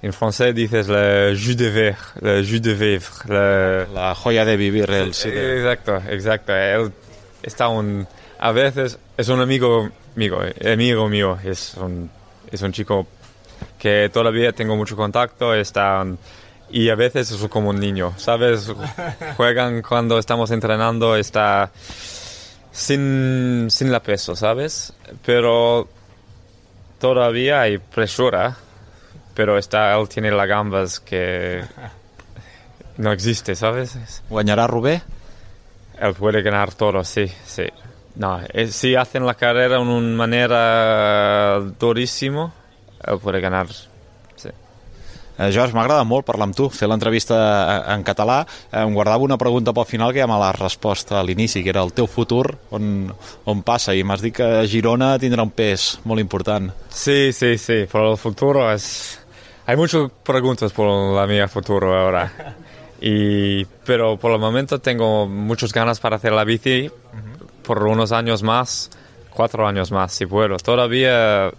Speaker 17: En francés dices le jus de vivre.
Speaker 3: La joya de vivir.
Speaker 17: Exacto. Él está a veces es un amigo mío. Es un chico que todavía tengo mucho contacto. Y a veces es como un niño, ¿sabes? Juegan cuando estamos entrenando, está sin la peso, ¿sabes? Pero todavía hay presión. Pero él tiene las gambas que no existe, ¿sabes?
Speaker 3: ¿Guañará Rubé?
Speaker 17: Él puede ganar todo, sí. No, si hacen la carrera de una manera durísima, él puede ganar, sí.
Speaker 3: George, m'agrada molt parlar amb tu, fer l'entrevista en català. Em guardava una pregunta pel final que ja me l'has respost a l'inici, que era el teu futur, on passa, i m'has dit que Girona tindrà un pes molt important.
Speaker 17: Sí, por el futuro Hay muchas preguntas por la mía futuro ahora. Pero por el momento tengo muchas ganas para hacer la bici por unos años más, 4 años más, si puedo. Todavía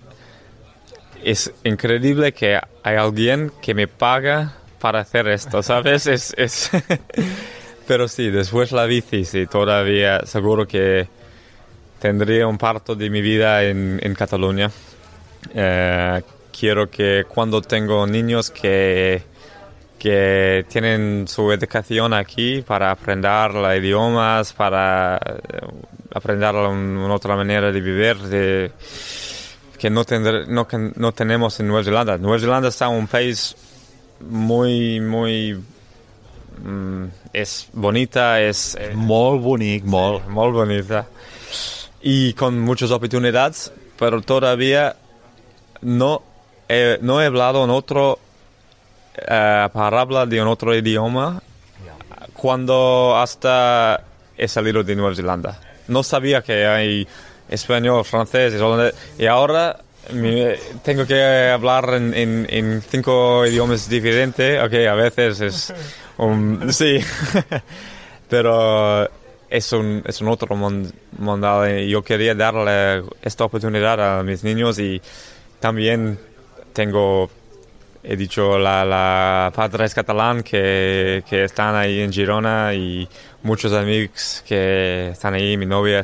Speaker 17: es increíble que hay alguien que me paga para hacer esto, ¿sabes? Pero sí, después la bici, sí, todavía seguro que tendría un parto de mi vida en Cataluña. Quiero que cuando tengo niños que tienen su educación aquí para aprender los idiomas, para aprender una otra manera de vivir, que no tenemos en Nueva Zelanda. Nueva Zelanda está un país muy es bonita, es
Speaker 3: molt bonic, molt
Speaker 17: bonita y con muchas oportunidades, pero todavía no he hablado en otro palabra de un otro idioma cuando hasta he salido de Nueva Zelanda. No sabía que hay español, francés y ahora tengo que hablar en 5 idiomas diferentes. Okay, a veces es sí, pero es un otro mundo y yo quería darle esta oportunidad a mis niños y también he dicho la padres catalán que están ahí en Girona y muchos amigos que están ahí, mi novia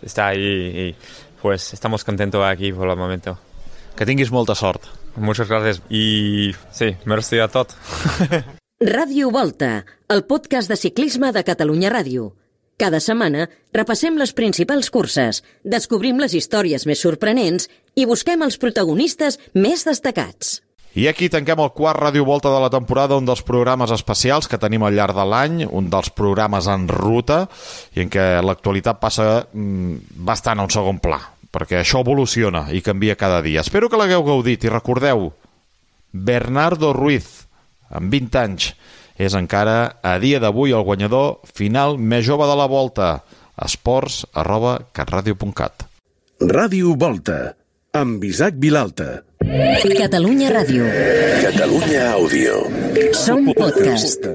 Speaker 17: está ahí y pues estamos contentos aquí por el momento.
Speaker 3: Que tinguis molta sort.
Speaker 17: Muchas gracias y sí, merci a tot.
Speaker 1: Ràdio Volta, el podcast de ciclisme de Catalunya Ràdio. Cada setmana repassem les principals curses, descobrim les històries més sorprenents i busquem els protagonistes més destacats.
Speaker 3: I aquí tanquem el quart Ràdio Volta de la temporada, un dels programes especials que tenim al llarg de l'any, un dels programes en ruta i en què l'actualitat passa bastant a un segon pla, perquè això evoluciona i canvia cada dia. Espero que l'hagueu gaudit i recordeu, Bernardo Ruiz, amb 20 anys, és encara a dia d'avui el guanyador final més jove de la Volta. esports@catradio.cat.
Speaker 2: Ràdio Volta, amb Isaac Vilalta.
Speaker 1: Catalunya Ràdio.
Speaker 2: Catalunya Àudio.
Speaker 1: Som podcast.